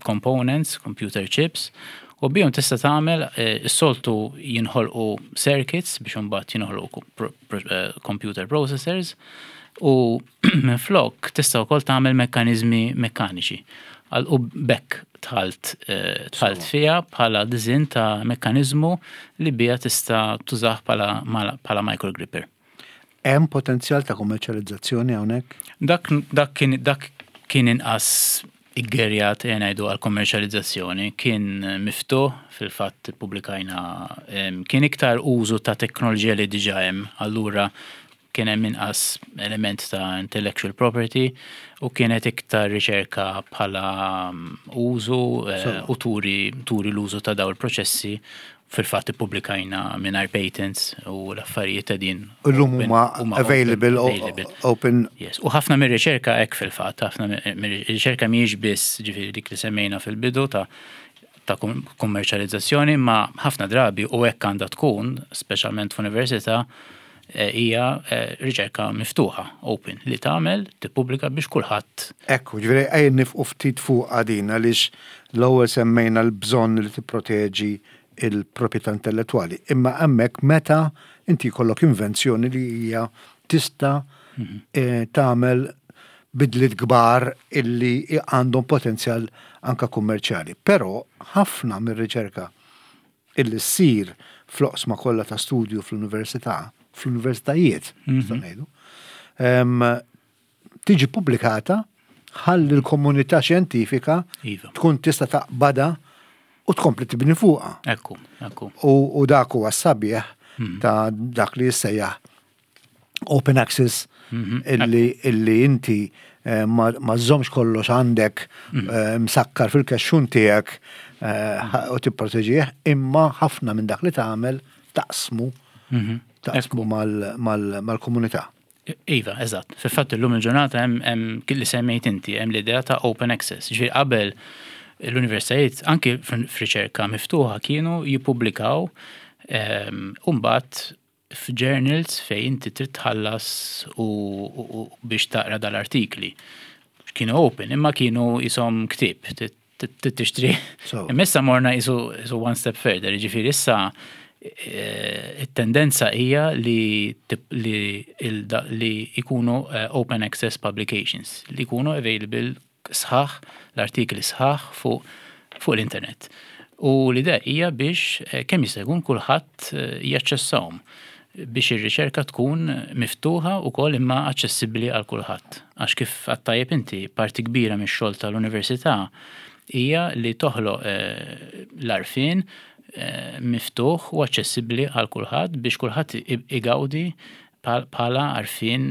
components, computer chips, u bihom tista' tagħmel is-soltu jinħolqu circuits biex imbagħad jinħolqu computer processors u Minflok tista' wkoll tagħmel mekkaniżmi mekkaniċi. U b'hekk dħalt eh, dħalt fiha bħala diżinn ta' mekkaniżmu li biha tista' tużah bħala microgripper. Hemm potenzjal ta' kummerċjalizzazzjoni hawnhekk? Dak dak kien dak kien inqas iggerjat ejja ngħidu għal kummerċjalizzazzjoni, kien miftuħ, fil-fatt ippubblikajna kien iktar użu ta' teknoloġija li diġà hemm, allura kien hemm inqas element ta' intellectual property u kienet iktar riċerka bħala mm, użu eh, u turi, turi l-użu ta' daw il-proċessi fil-fatt ippubblikajna mingħajr patents u l-affarijiet ta' din. Illum huma available, open. Yes. U ħafna mir-riċerka hekk fil-fatt, ħafna mir-riċerka mhijiex biss ġifieri dik li semmejna fil-bidu ta' ta' kummerċjalizzazzjoni, ma ħafna drabi u hekk għandha tkun, speċjalment f'università, eh, hija eh, riċerka miftuħa, open, li tagħmel, tippubblika biex kulħadd. Ekku, ġifieri ejja nifqu ftit fuq din għaliex l-ewwel semmejna l-bżonn li tipproteġi il-proprjetà intellettwali. Imma hemmhekk meta inti jkollok invenzjoni li hija tista' mhm. eh, tagħmel bidliet kbar illi għandhom potenzjal anka kummerċjali. Però ħafna mir-riċerka illi ssir fl-oqsma kollha ta' studju fl-università, fl-universitajiet, nistgħu ngħidu, tiġi pubblikata ħalli l-komunità xjentifika iva. tkun tista' taqbada u tkompli tibni fuqha. Ekku, ekku. U dak huwa sabiħ mhm. ta' dak li jissejjaħ open access mhm. illi, illi inti eh, ma żżomx kollox għandek mhm. eh, msakkar fil-kexxun tiegħek eh, u tipproteġih, imma ħafna minn dak li tagħmel taqsmu mhm. taqsmu mal-komunità. Iva, eżatt. Fil-fatt illum il-ġurnata hemm li semmejt inti, hemm l-idea ta' open access. Ġifieri qabel l-universitajiet anki f'riċerka miftuħa kienu jippubblikaw u mbagħad f'journals fejn inti trid tħallas u biex taqra dal-artikli. Kienu open, imma kienu jisom ktieb, trid tixtri. Imma issa morna jisu one step further, jiġifieri issa eh, it-tendenza hija li li jkunu eh, open access publications, li jkunu available sħaħ, l-artikli sħaħ fuq fuq l-internet. U l-idea hija biex eh, kemm jista' jkun kulħadd jaċċessahom biex ir-riċerka tkun miftuħa wkoll imma aċċessibbli għal kulħadd. Għax kif għedt tajjeb inti, parti kbira mix-xogħol tal-università hija li toħloq l-għarfien miftuħ u aċċessibbli għal kulħadd biex kulħadd igawdi bħala għarfien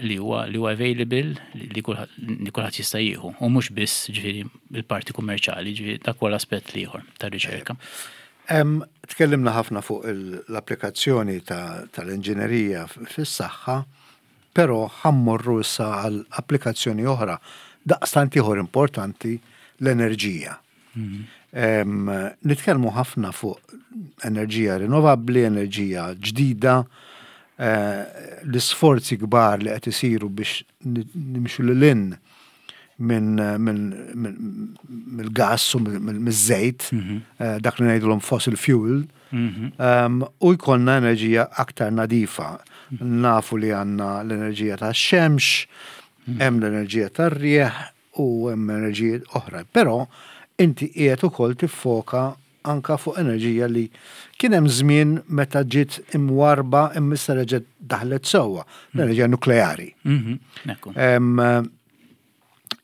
li huwa li huwa available li kulħadd jista' jieħu u mhux biss ġifieri il-parti kummerċjali, ġifieri dak huwa l-aspett l-ieħor tar-riċerka. Tkellimna ħafna fuq l-applikazzjoni tal-inġinerija fis-saħħa, però ħa mmorru issa għal applikazzjoni oħra daqstant ieħor importanti l-enerġija. Nitkellmu ħafna fuq enerġija rinnovabbli, enerġija ġdida, eh, l-isforzi kbar li qed isiru biex nimxu lil hinn minn mill-gass u miż-żejt, mhm. eh, dak li ngħidulhom fossil fuel, mhm. ehm, u jkollna enerġija aktar nadifa. Mhm. Nafu li għandna l-enerġija tax-xemx, hemm l-enerġija tar-rieħ u hemm enerġija oħra. Però inti qiegħed ukoll tiffoka anka fuq enerġija li kien hemm żmien meta ġiet imwarba imma issa reġgħet daħlet sewwa, l-enerġija nukleari.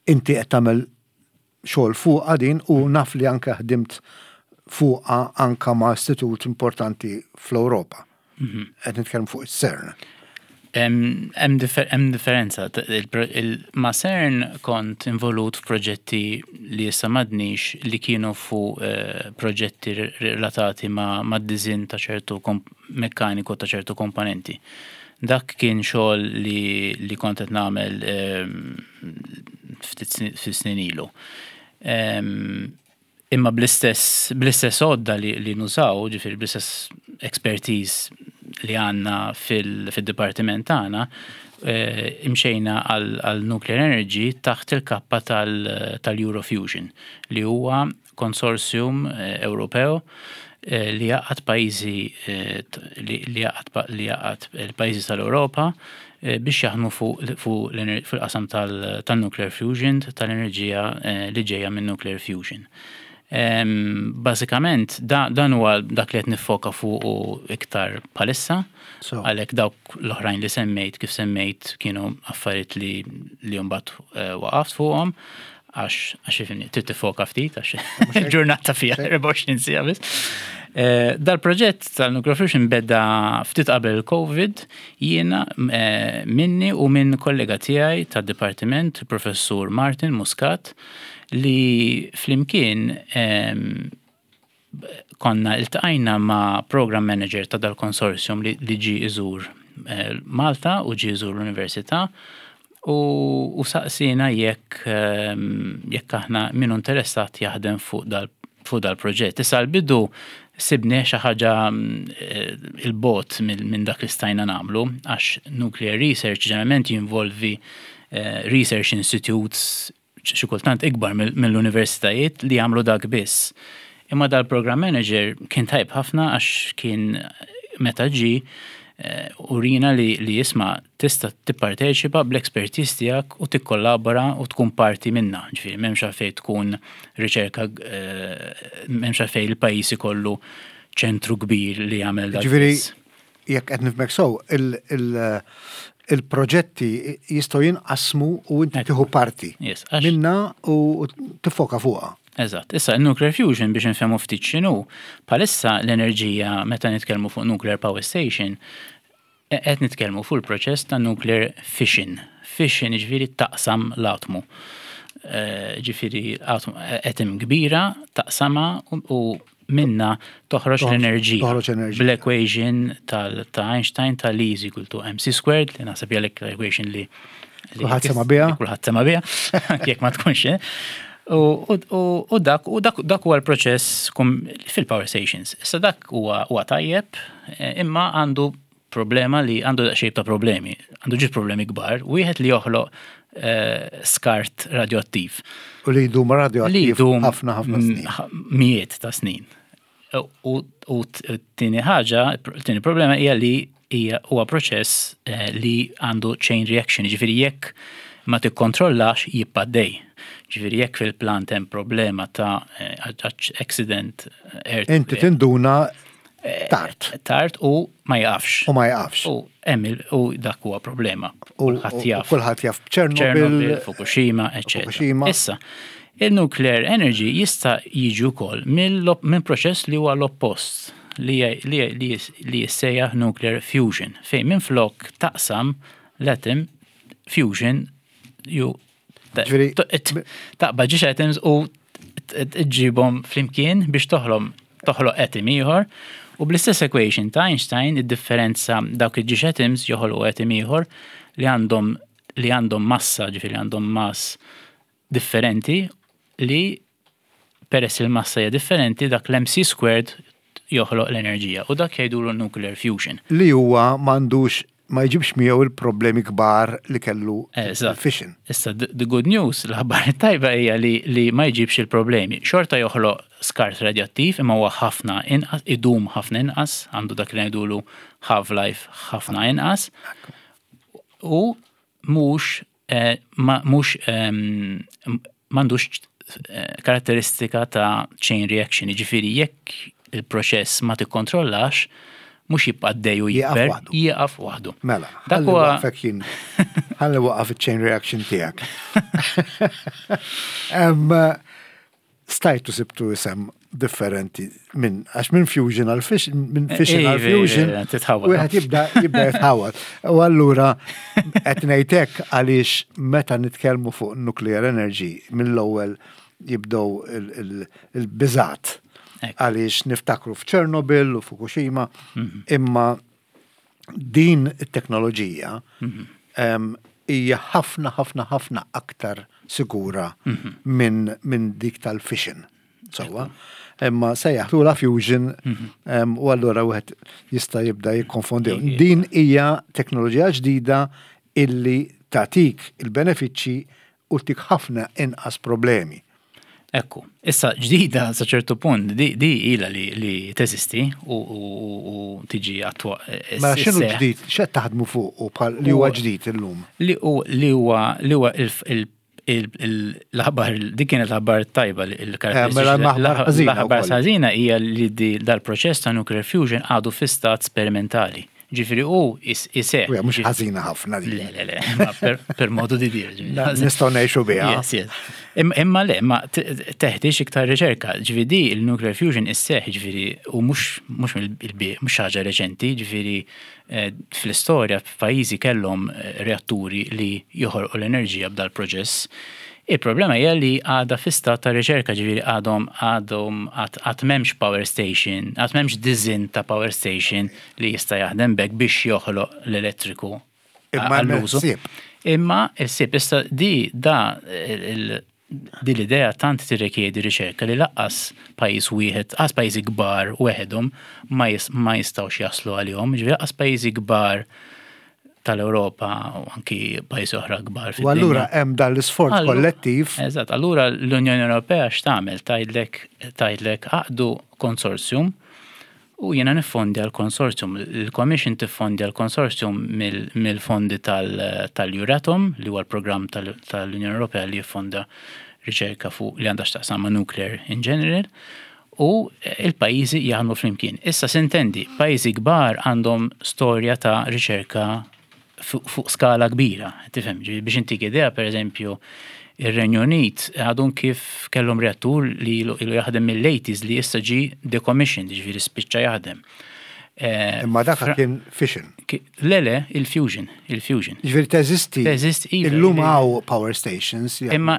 Inti qed tagħmel xogħol fuqha din u naf li anke ħdimt fuqha anka ma' istitut importanti fl-Ewropa. Qed nitkellem fuq is-CERN. Hemm differenza. Ma' CERN kont involut f'proġetti li issa m'għadnix li kienu fuq eh, proġetti relatati ma' design ta' ċertu mekkaniku ta' ċertu komponenti. Dak kien xogħol li, li kont qed nagħmel ehm, ftit snin ilu. Ehm, imma bl-istess bl-istess għodda li, li nużaw, ġifieri bl-istess expertise li għandna fil-dipartiment tagħna, eh, imxejna għal nuclear energy taħt il-kappa tal-Eurofusion li huwa konsorzjum eh, Ewropew eh, li jgħaqqad pajjiżi li jgħaqqad il-pajjiżi tal-Ewropa biex jaħdmu fuq fil-qasam tal-nuclear fusion, tal-enerġija li ġejja minn nuclear fusion. Bażikament dan huwa dak li qed niffoka fuq iktar bħalissa, għalhekk dawk l-oħrajn li semmejt kif semmejt kienu affarijiet li li mbagħad waqaft fuqhom għax għax ifhimni trid tiffoka ftit għax il-ġurnata fiha 24 siegħa biss. Eh, dal-proġett tal-Nuclear Fusion beda ftit qabel il-Covid jiena eh, minni u minn kollega tiegħi tad-dipartiment, professur Martin Muscat, li flimkien ehm, konna iltqajna ma' program manager ta' dal-konsorzjum li, li ġi iżur eh, Malta u ġi iżur l-Università u, u saqsina jekk ehm, jekk aħna minnu interessat jaħdem fuq dal fuq dal-proġett. Issa l-bidu sibni xi ħaġa eh, il-bot minn dak li stajna nagħmlu għax nuclear research ġeneralment jinvolvi eh, research institutes xi kultant ikbar mill-universitajiet li jagħmlu dak biss. Imma dal-program manager kien tajb ħafna għax kien meta ġi eh, urina li, li jisma' tista' tipparteċipa bl-expertise tiegħek u tikkollabora u tkun parti minna. Ġifieri m'hemmx għalfejn tkun riċerka eh, m'hemmx għalfejn il-pajjiż ikollu ċentru kbir li jagħmel dak. Ġifieri jekk qed nifhmek sew, il-proġetti jistgħu jinqasmu u inti tieħu parti minna u tiffoka fuqha. Eżatt. Issa, il-nuclear fusion biex nfehmu ftit x'inhu, bħalissa l-enerġija meta nitkellmu fuq nuclear power station, qed nitkellmu fuq il-proċess ta' nuclear fission. Fission ġifieri taqsam l-atmu. Eh, ġifieri atom kbira taqsama u minna toħroġ l-enerġija. Toħroġ enerġija. Bl-equation ta' Einstein tal E is equal to mc squared, li naħseb hija l-equation li Kulħadd sema' biha. Kulħadd sema' biha, jekk ma tkunx. Eh? U dak u dak dak huwa l-proċess fil-power stations. Issa dak huwa tajjeb, eh, imma għandu problema li għandu daqsxejn ta' problemi. Għandu ġiet problemi kbar, wieħed li joħloq eh, skart radioattiv. U li jdum radioattiv ħafna ħafna snin. Mijiet ta' snin. U t-tieni ħaġa, t-tieni problema hija li hija huwa proċess eh, li għandu chain reaction, ġifieri jekk ma tikkontrollax jibqa' dej. Ġifieri jekk fil-plant hemm problema ta' eh, accident Inti tinduna tard. Tard u ma jaqafx. U ma jaqafx. U hemm u dak huwa problema. Kulħadd jaf. Kulħadd jaf Chernobyl, Fukushima, eċetera. Fukushima. Issa, il-nuclear energy jista' jiġi wkoll minn proċess li huwa l-oppost li li jissejjaħ nuclear fusion, fejn minflok taqsam l-atom fusion ju taqbad ġiex atoms u tġibhom flimkien biex toħlom toħloq atom ieħor u bl-istess equation ta' Einstein id-differenza dawk il-ġiex atoms joħolqu atom ieħor li għandhom li għandhom massa, ġifieri għandhom mass differenti li peress il-massa hija differenti dak l-mc squared joħloq l-enerġija u dak jgħidulu nuclear fusion. Li huwa m'għandux ma jġibx miegħu il-problemi kbar li kellu il-fission. Issa, the good news, l-aħbar tajba hija li, li ma jġibx il-problemi. Xorta joħloq skart radioattiv imma huwa ħafna inqas, idum ħafna inqas, għandu dak li ngħidulu half-life ħafna inqas. U mhux eh, mhux ehm, m'għandux eh, karatteristika ta' chain reaction, jiġifieri jekk il-proċess ma tikkontrollax, mhux jibqa' għaddej u jikber, jieqaf waħdu. Mela, dak huwa jien. Ħalli waqaf iċ-chain reaction tiegħek. Stajtu sibtu isem differenti minn għax minn fusion għal fish minn fission għal fusion wieħed jibda jibda jitħawad. U allura qed ngħidlek għaliex meta nitkellmu fuq nuclear energy mill-ewwel jibdew il-biżat għaliex niftakru f'Chernobyl u Fukushima mhm. imma din it-teknoloġija mhm. hija ħafna ħafna ħafna aktar sigura mhm. minn min dik tal-fission. Sewwa. Imma sejjaħtula fusion mhm. u allura wieħed jista' jibda jikkonfondi. Din hija teknoloġija ġdida illi tagħtik il-benefiċċji u tik ħafna inqas problemi. Ekku, issa ġdida sa ċertu punt, di, di ila li, li teżisti u, u, u tiġi attwa. Ma x'inhu ġdid, x'qed taħdmu fuq u bħal li huwa ġdid illum? Li huwa li huwa l-aħbar, dik kienet l-aħbar tajba il-karatteristika. Eh, mela l-aħbar ħażina hija li dal-proċess ta' nuclear fusion għadu fi stat sperimentali. Ġifieri hu iseħħ. Uja, mhux ħażina ħafna di. Le, le, le, ma per modu di dir. Nistgħu ngħixu biha. Yes, yes. Imma le, ma teħtieġ iktar riċerka. Ġifieri di il-nuclear fusion isseħħ ġifieri u mhux mhux mhux ħaġa reċenti, ġifieri eh, fl-istorja f'pajjiżi kellhom eh, reatturi li joħolqu l-enerġija b'dal proċess. Il-problema hija li għadha fi stat ta' riċerka, ġifieri għadhom għadhom għad m'hemmx power station, għad m'hemmx disinn ta' power station li jista' jaħdem b'hekk biex joħloq l-elettriku għall-użu. Imma il-ħsieb issa di da di l-idea tant tirrikjedi riċerka li laqqas pajjiż wieħed, qas pajjiżi kbar weħedhom ma jistgħux jaslu għalihom, ġifieri laqqas pajjiżi kbar tal-Ewropa u anki pajjiżi oħra kbar fid-dinja. U allura hemm dan l-isforz kollettiv. Eżatt, allura l-Unjoni Ewropea x'tagħmel? Tgħidlek tgħidlek għaqdu konsorzjum u jiena niffondja l-konsorzjum. Il-Commission tiffondja l-konsorzjum mill-fondi tal-Euratom, li huwa l-programm tal-Unjoni Ewropea li jiffonda riċerka fuq li għandha x'taqsam ma' nuclear in general. U il-pajjiżi jaħdmu flimkien. Issa sintendi, pajjiżi kbar għandhom storja ta' riċerka fuq skala kbira, tifhem, biex intik idea, per eżempju, ir-Renju Unit għadhom kif kellhom reattur li ilu jaħdem mill-80s li issa ġi decommissioned, ġifieri spiċċa jaħdem. Eh, Imma dak kien fission. Le, le, il-fusion, il-fusion. Ġifieri teżisti. Teżisti, iva. Illum hawn power stations. Imma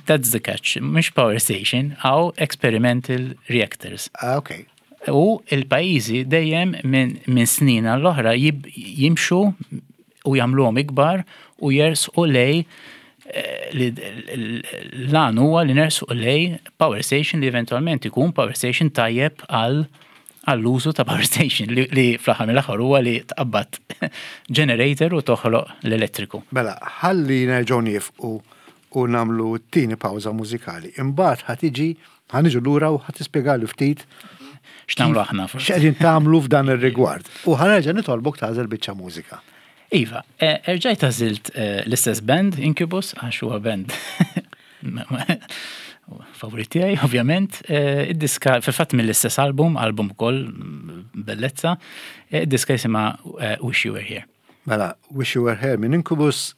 that's the catch, mhux power station, hawn experimental reactors. Ah, ok. U il-pajjiżi dejjem minn snin għall-oħra jimxu u jagħmluhom ikbar u jersqu lej eh, l-għan huwa li nersqu lej power station li eventualment ikun power station tajjeb għal għall-użu ta' power station li, li fl-aħħar mill-aħħar huwa li tqabbad generator u toħloq l-elettriku. Mela, ħalli nerġgħu niefqu u nagħmlu t-tieni pawża mużikali. Imbagħad ħa tiġi, ħa niġu lura u ħa tispjegali ftit x'nagħmlu aħna forsi. X'qegħdin tagħmlu f'dan ir-rigward. U ħa nerġa' nitolbok tagħżel biċċa mużika. Iva, eh, erġajt għażilt eh, l-istess band, Incubus, għax huwa band favorit tiegħi, ovvjament. Eh, id-diska, fil-fatt mill-istess album, album ukoll mm, bellezza, eh, id-diska jisimha eh, Wish You Were Here. Mela, Wish You Were Here minn Incubus,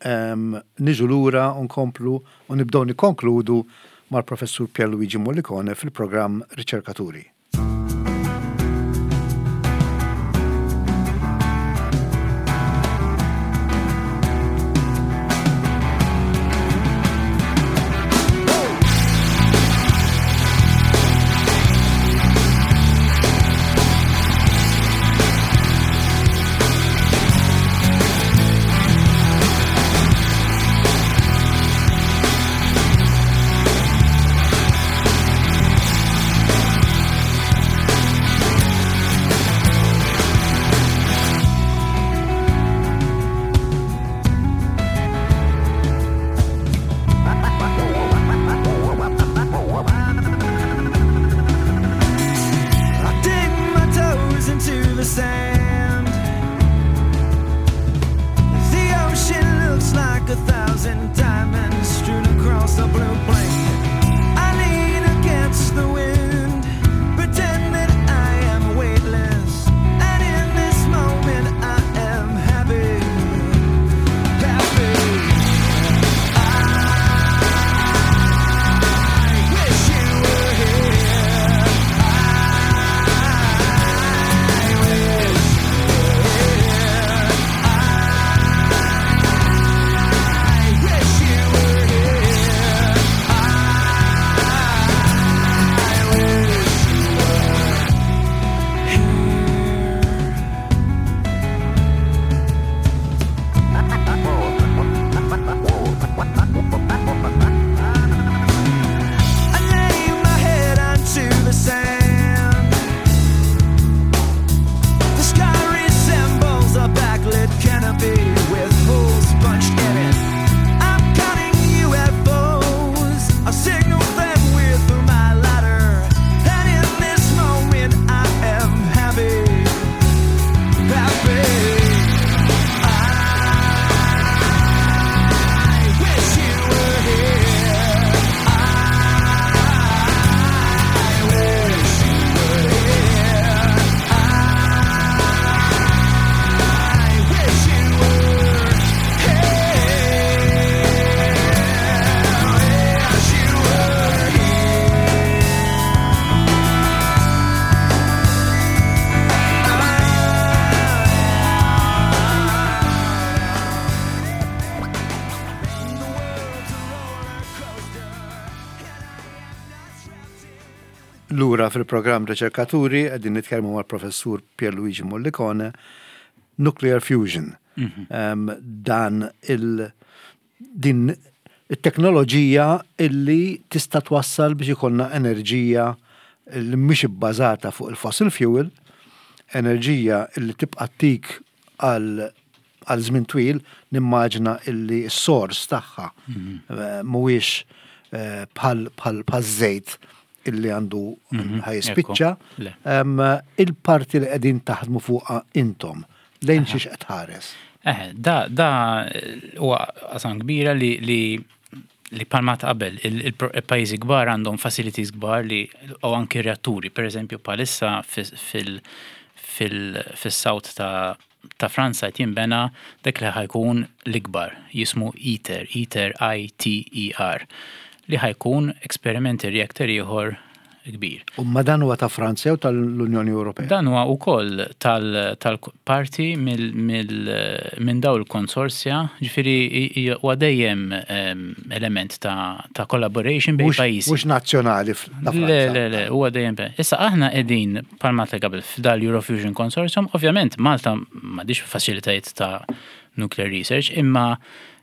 niġu lura u nkomplu u nibdew nikkonkludu mal-Professur Pierluigi Mollicone fil-programm Riċerkaturi. Lura fil-programm Riċerkaturi qegħdin nitkellmu mal-Professur Pierluigi Mollicone, Nuclear Fusion. Mhm. Dan il din it-teknoloġija illi tista' twassal biex ikollna enerġija li mhix ibbażata fuq il-fossil fuel, enerġija illi tibqa' tik għal għal żmien twil, nimmaġina illi s-sors tagħha mhm. eh, mhuwiex eh, bħal żejt illi għandu mhm, ħajspiċċa. Il-parti li qegħdin taħdmu fuqha intom, lejn xiex qed tħares? Eh, da, da huwa qasam kbira li li li palma ta' qabel, il-pajjiżi kbar għandhom facilities kbar li u anki reatturi, per eżempju palissa fil-south ta' ta' Franza qed jinbena dak li ħa jkun l-ikbar, jismu ITER, ITER I-T-E-R, li ħa jkun experimental reactor ieħor. kbir. U ma dan huwa ta' Franza jew tal-Unjoni Ewropea? Dan huwa wkoll tal-parti minn daw il-konsorzja, ġifieri huwa dejjem element ta' collaboration bejn pajjiżi. Mhux nazzjonali ta' Franza. Le, le, le, huwa dejjem. Issa aħna qegħdin bħalma ta' qabel f'dal-Eurofusion Consortium, ovvjament Malta m'għandix faċilitajiet ta' nuclear research, imma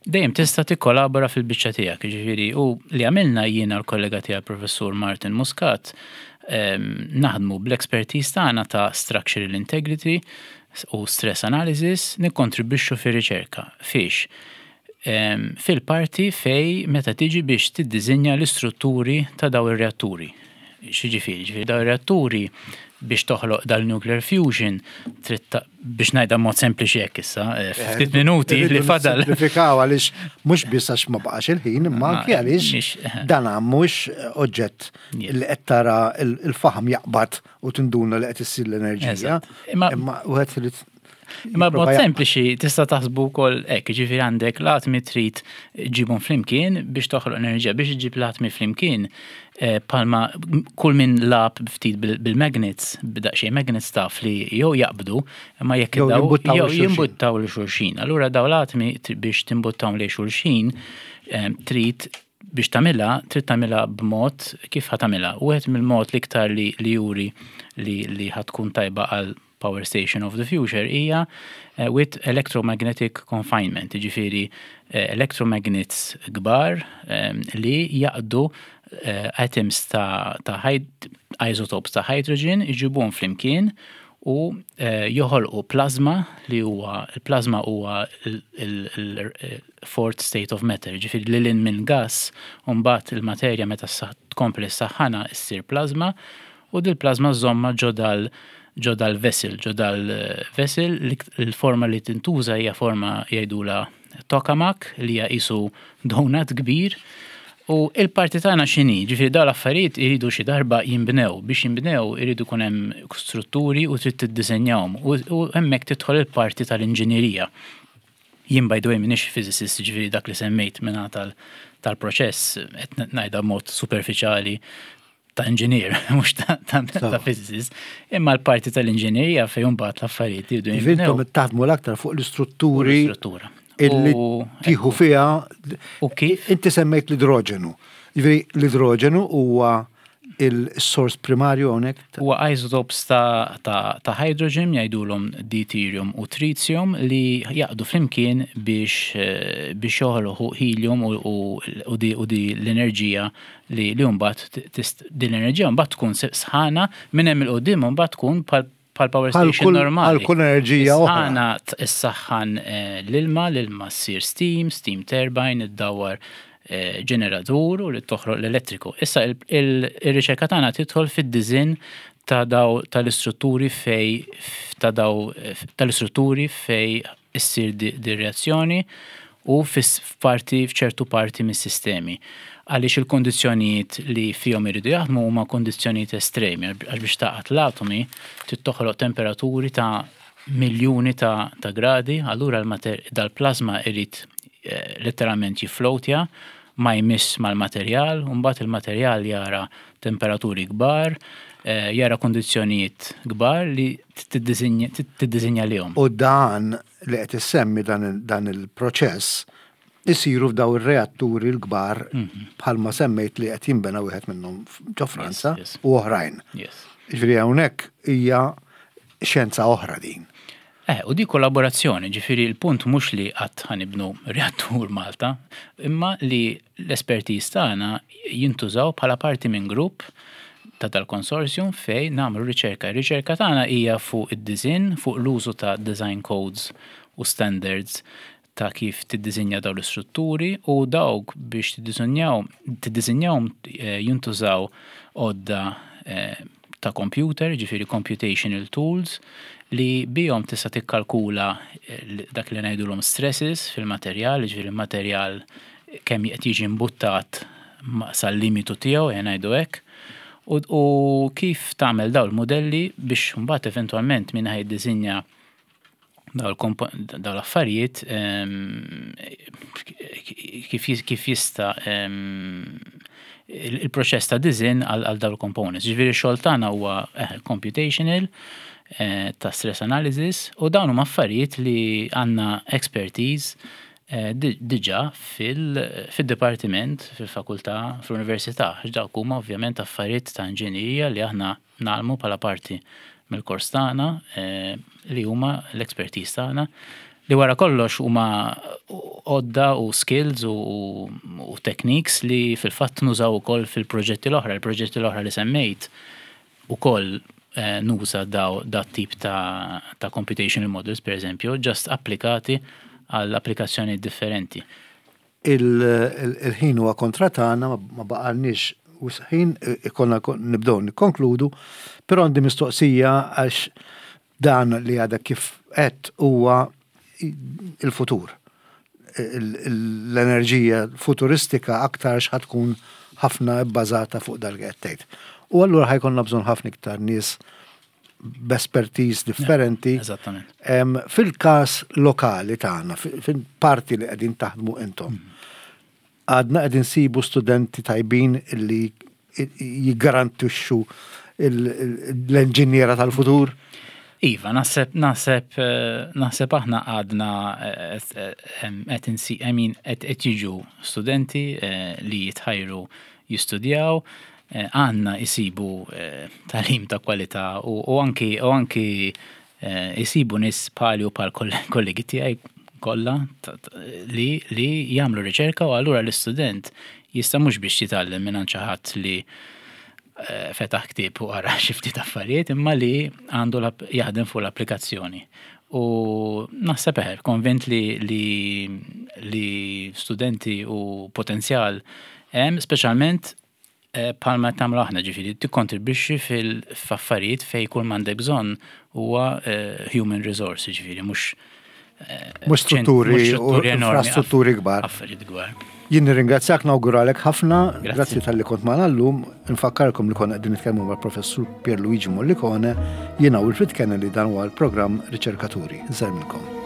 dejjem tista' tikkolabora fil-biċċa tiegħek, jiġifieri u li għamilna jiena l-kollega tiegħi professur Martin Muscat naħdmu bl-expertise tagħna ta' structural integrity u stress analysis nikkontribwixxu fir-riċerka. Fiex? Fil-parti fej meta tiġi biex tiddiżinja l-istrutturi ta' daw ir-reatturi. X'jiġifieri? Ġifieri daw ir-reatturi biex toħloq dal-nuclear fusion trid biex ngħidha mod sempliċi hekk issa, eh, eh, ftit minuti li fadal. Simplifikaw għaliex mhux biss għax ma baqax il-ħin, imma anke għaliex eh. dan mhux oġġett li qed tara il-faħam jaqbad u tinduna li qed issir l-enerġija. Imma wieħed irid Imma b'mod sempliċi tista' taħsbu wkoll hekk, jiġifieri għandek l-atmi trid ġibhom flimkien biex toħloq enerġija, biex iġib l-atmi flimkien eh, palma kull min lab ftit bil-magnets, b'daqsxejn magnets taf li jew jaqbdu, imma jekk jew jimbuttaw li xulxin. Allura daw l-atmi biex timbuttaw li xulxin eh, trid biex tagħmilha trid tagħmilha b'mod kif ħa tagħmilha. Wieħed mill-mod l-iktar li juri li ħa tkun tajba għal power station of the future hija eh, with electromagnetic confinement, jiġifieri eh, electromagnets kbar eh, li jaqdu atoms ta', ta isotopes ta' hydrogen iġibuhom flimkien u joħolqu plasma li huwa il-plasma huwa il-fourth state of matter, ġifieri li lin minn gas u mbagħad il-materja meta tkompli s-saħħana ssir plasma u dil-plasma żżommha ġo dal ġo dal-vessel, ġo dal-vessel, il-forma li tintuża hija forma jgħidula tokamak li hija qisu donut kbir. U il-parti tagħna x'inhi? Ġifieri dawn l-affarijiet iridu xi darba jinbnew. Biex jinbnew iridu jkun hemm strutturi u trid tiddisinjahom. U hemmhekk tidħol il-parti tal-inġinierija. Jien by the way m'iniex physicist, ġifieri dak li semmejt minn tal-proċess qed ngħidha b'mod superfiċjali ta' engineer, mhux ta' physicist, imma l-parti tal-inġinerija fejn mbagħad l-affarijiet jridu jinbnew. Intom taħdmu l-aktar fuq l-istrutturi. L-istruttura. Illi tieħu fiha. U kif? Inti semmejt l-idroġenu. Jiġifieri l-idroġenu huwa il-sors primarju hawnhekk? Huwa isotopes ta', ta, ta hydrogen jgħidulhom deuterium u tritium li jaqdu flimkien biex, eh, biex joħolqu helium u, u, u di, u di l-enerġija li li mbagħad din l-enerġija mbagħad tkun sħana minn hemm il-qudiem mbagħad tkun bħal power station normali. Għal kull enerġija oħra. Sħana issaħħan eh, l-ilma, l-ilma ssir steam, steam turbine, iddawwar eh, ġeneratur u li toħroq l-elettriku. Issa il-riċerka tagħna tidħol fid-diżinn ta' daw tal-istrutturi fej ta' daw tal-istrutturi fej issir di reazzjoni u f'parti f'ċertu parti mis-sistemi. Għaliex il-kondizzjonijiet li fihom iridu jaħdmu huma kondizzjonijiet estremi għax biex taqgħad l-atomi trid toħloq temperaturi ta' miljuni ta', ta gradi, allura dal-plasma irid eh, letteralment jifflowtja ma jmiss mal-materjal, u mbagħad il-materjal jara temperaturi kbar, eh, jara kondizzjonijiet kbar li tiddisinja lihom. U dan li qed issemmi dan il-proċess isiru f'daw ir-reatturi l-kbar mhm. bħalma semmejt li qed jinbena wieħed minnhom ġo Franza u oħrajn. Ġifieri hawnhekk hija xjenza oħra din. Eh, u di kollaborazzjoni, ġifieri l-punt mhux li qatt ħanibnu reattur Malta, imma li l-espertiż tagħna jintużaw bħala parti minn grupp ta' dal-consortium fej nagħmlu riċerka. Ir-riċerka tagħna hija fuq id-disinn, fuq l-użu ta' design codes u standards ta' kif tiddisinja dawn l-istrutturi u dawk biex tiddisinjaw tiddisinjawhom eh, jintużaw għodda eh, ta' computer, ġifieri computational tools, li bihom tista' tikkalkula eh, dak li ngħidulhom stresses fil-materjal, ġifieri il-materjal kemm qed jiġi mbuttat sal-limitu tiegħu, ejja ngħidu hekk, u, u kif tagħmel dawn il-modelli biex mbagħad eventwalment min ħa jiddisinja dawn l-affarijiet ehm, kif jista' ehm, il-proċess ta' design għal dawn il-components. Ġifieri x-xogħol tagħna huwa eh, computational eh, ta' stress analysis u dawn huma affarijiet li għandna expertise eh, diġà fil-dipartiment, fil-fakultà, fl-università. Dawk huma ovvjament affarijiet ta' inġinerija li aħna ngħallmu bħala parti mill-kors tagħna eh, li huma l-expertise tagħna li wara kollox huma għodda u skills u, u techniques li fil-fatt nużaw ukoll fil-proġetti l-oħra. Il-proġetti l-oħra li semmejt ukoll eh, nuża daw dat tip ta', ta computational models, per eżempju, just applikati għal applikazzjoni differenti. Il-ħin huwa kontra tagħna ma baqalniex wisq ħin ikollna nibdew nikkonkludu, però għandi mistoqsija għax dan li għadek kif qed huwa il-futur. L-enerġija futuristika aktar ħa tkun ħafna bbażata fuq dak li qed tgħid. U allura ħa jkollna bżonn ħafna iktar nies b'espertise differenti. Eżattament. Fil-każ lokali tagħna, fil-parti li qegħdin taħdmu intom, għadna qegħdin nsibu studenti tajbin li jiggarantixxu l-inġiniera tal-futur? Iva, naħseb naħseb naħseb aħna għadna qed insi I mean qed jiġu studenti li jitħajru jistudjaw, għandna jsibu tagħlim ta' kwalità u anki u anki jsibu nies bħali u bħal kollegi tiegħi kollha li li jagħmlu riċerka u allura l-istudent jista' mhux biex jitgħallem minn xi ħadd li fetaħ ktieb u qara xi ftit affarijiet imma li għandu jaħdem fuq l-applikazzjoni. U naħseb eħe, konvint li, li, li studenti u potenzjal hemm, speċjalment bħalma qed nagħmlu aħna ġifieri tikkontribwixxi fil-affarijiet fejn kull m'għandek bżonn huwa human resource, ġifieri mhux Mhux strutturi u infrastrutturi kbar. Affarijiet kbar. Jien nirringrazzjak nawguralek ħafna, grazzi talli kont magħna llum, infakkarkom li konna qegħdin nitkellmu mal-Professur Pierluigi Mollicone, jiena Wilfred Kennedy dan huwa l-programm Riċerkaturi. Insellmilkom.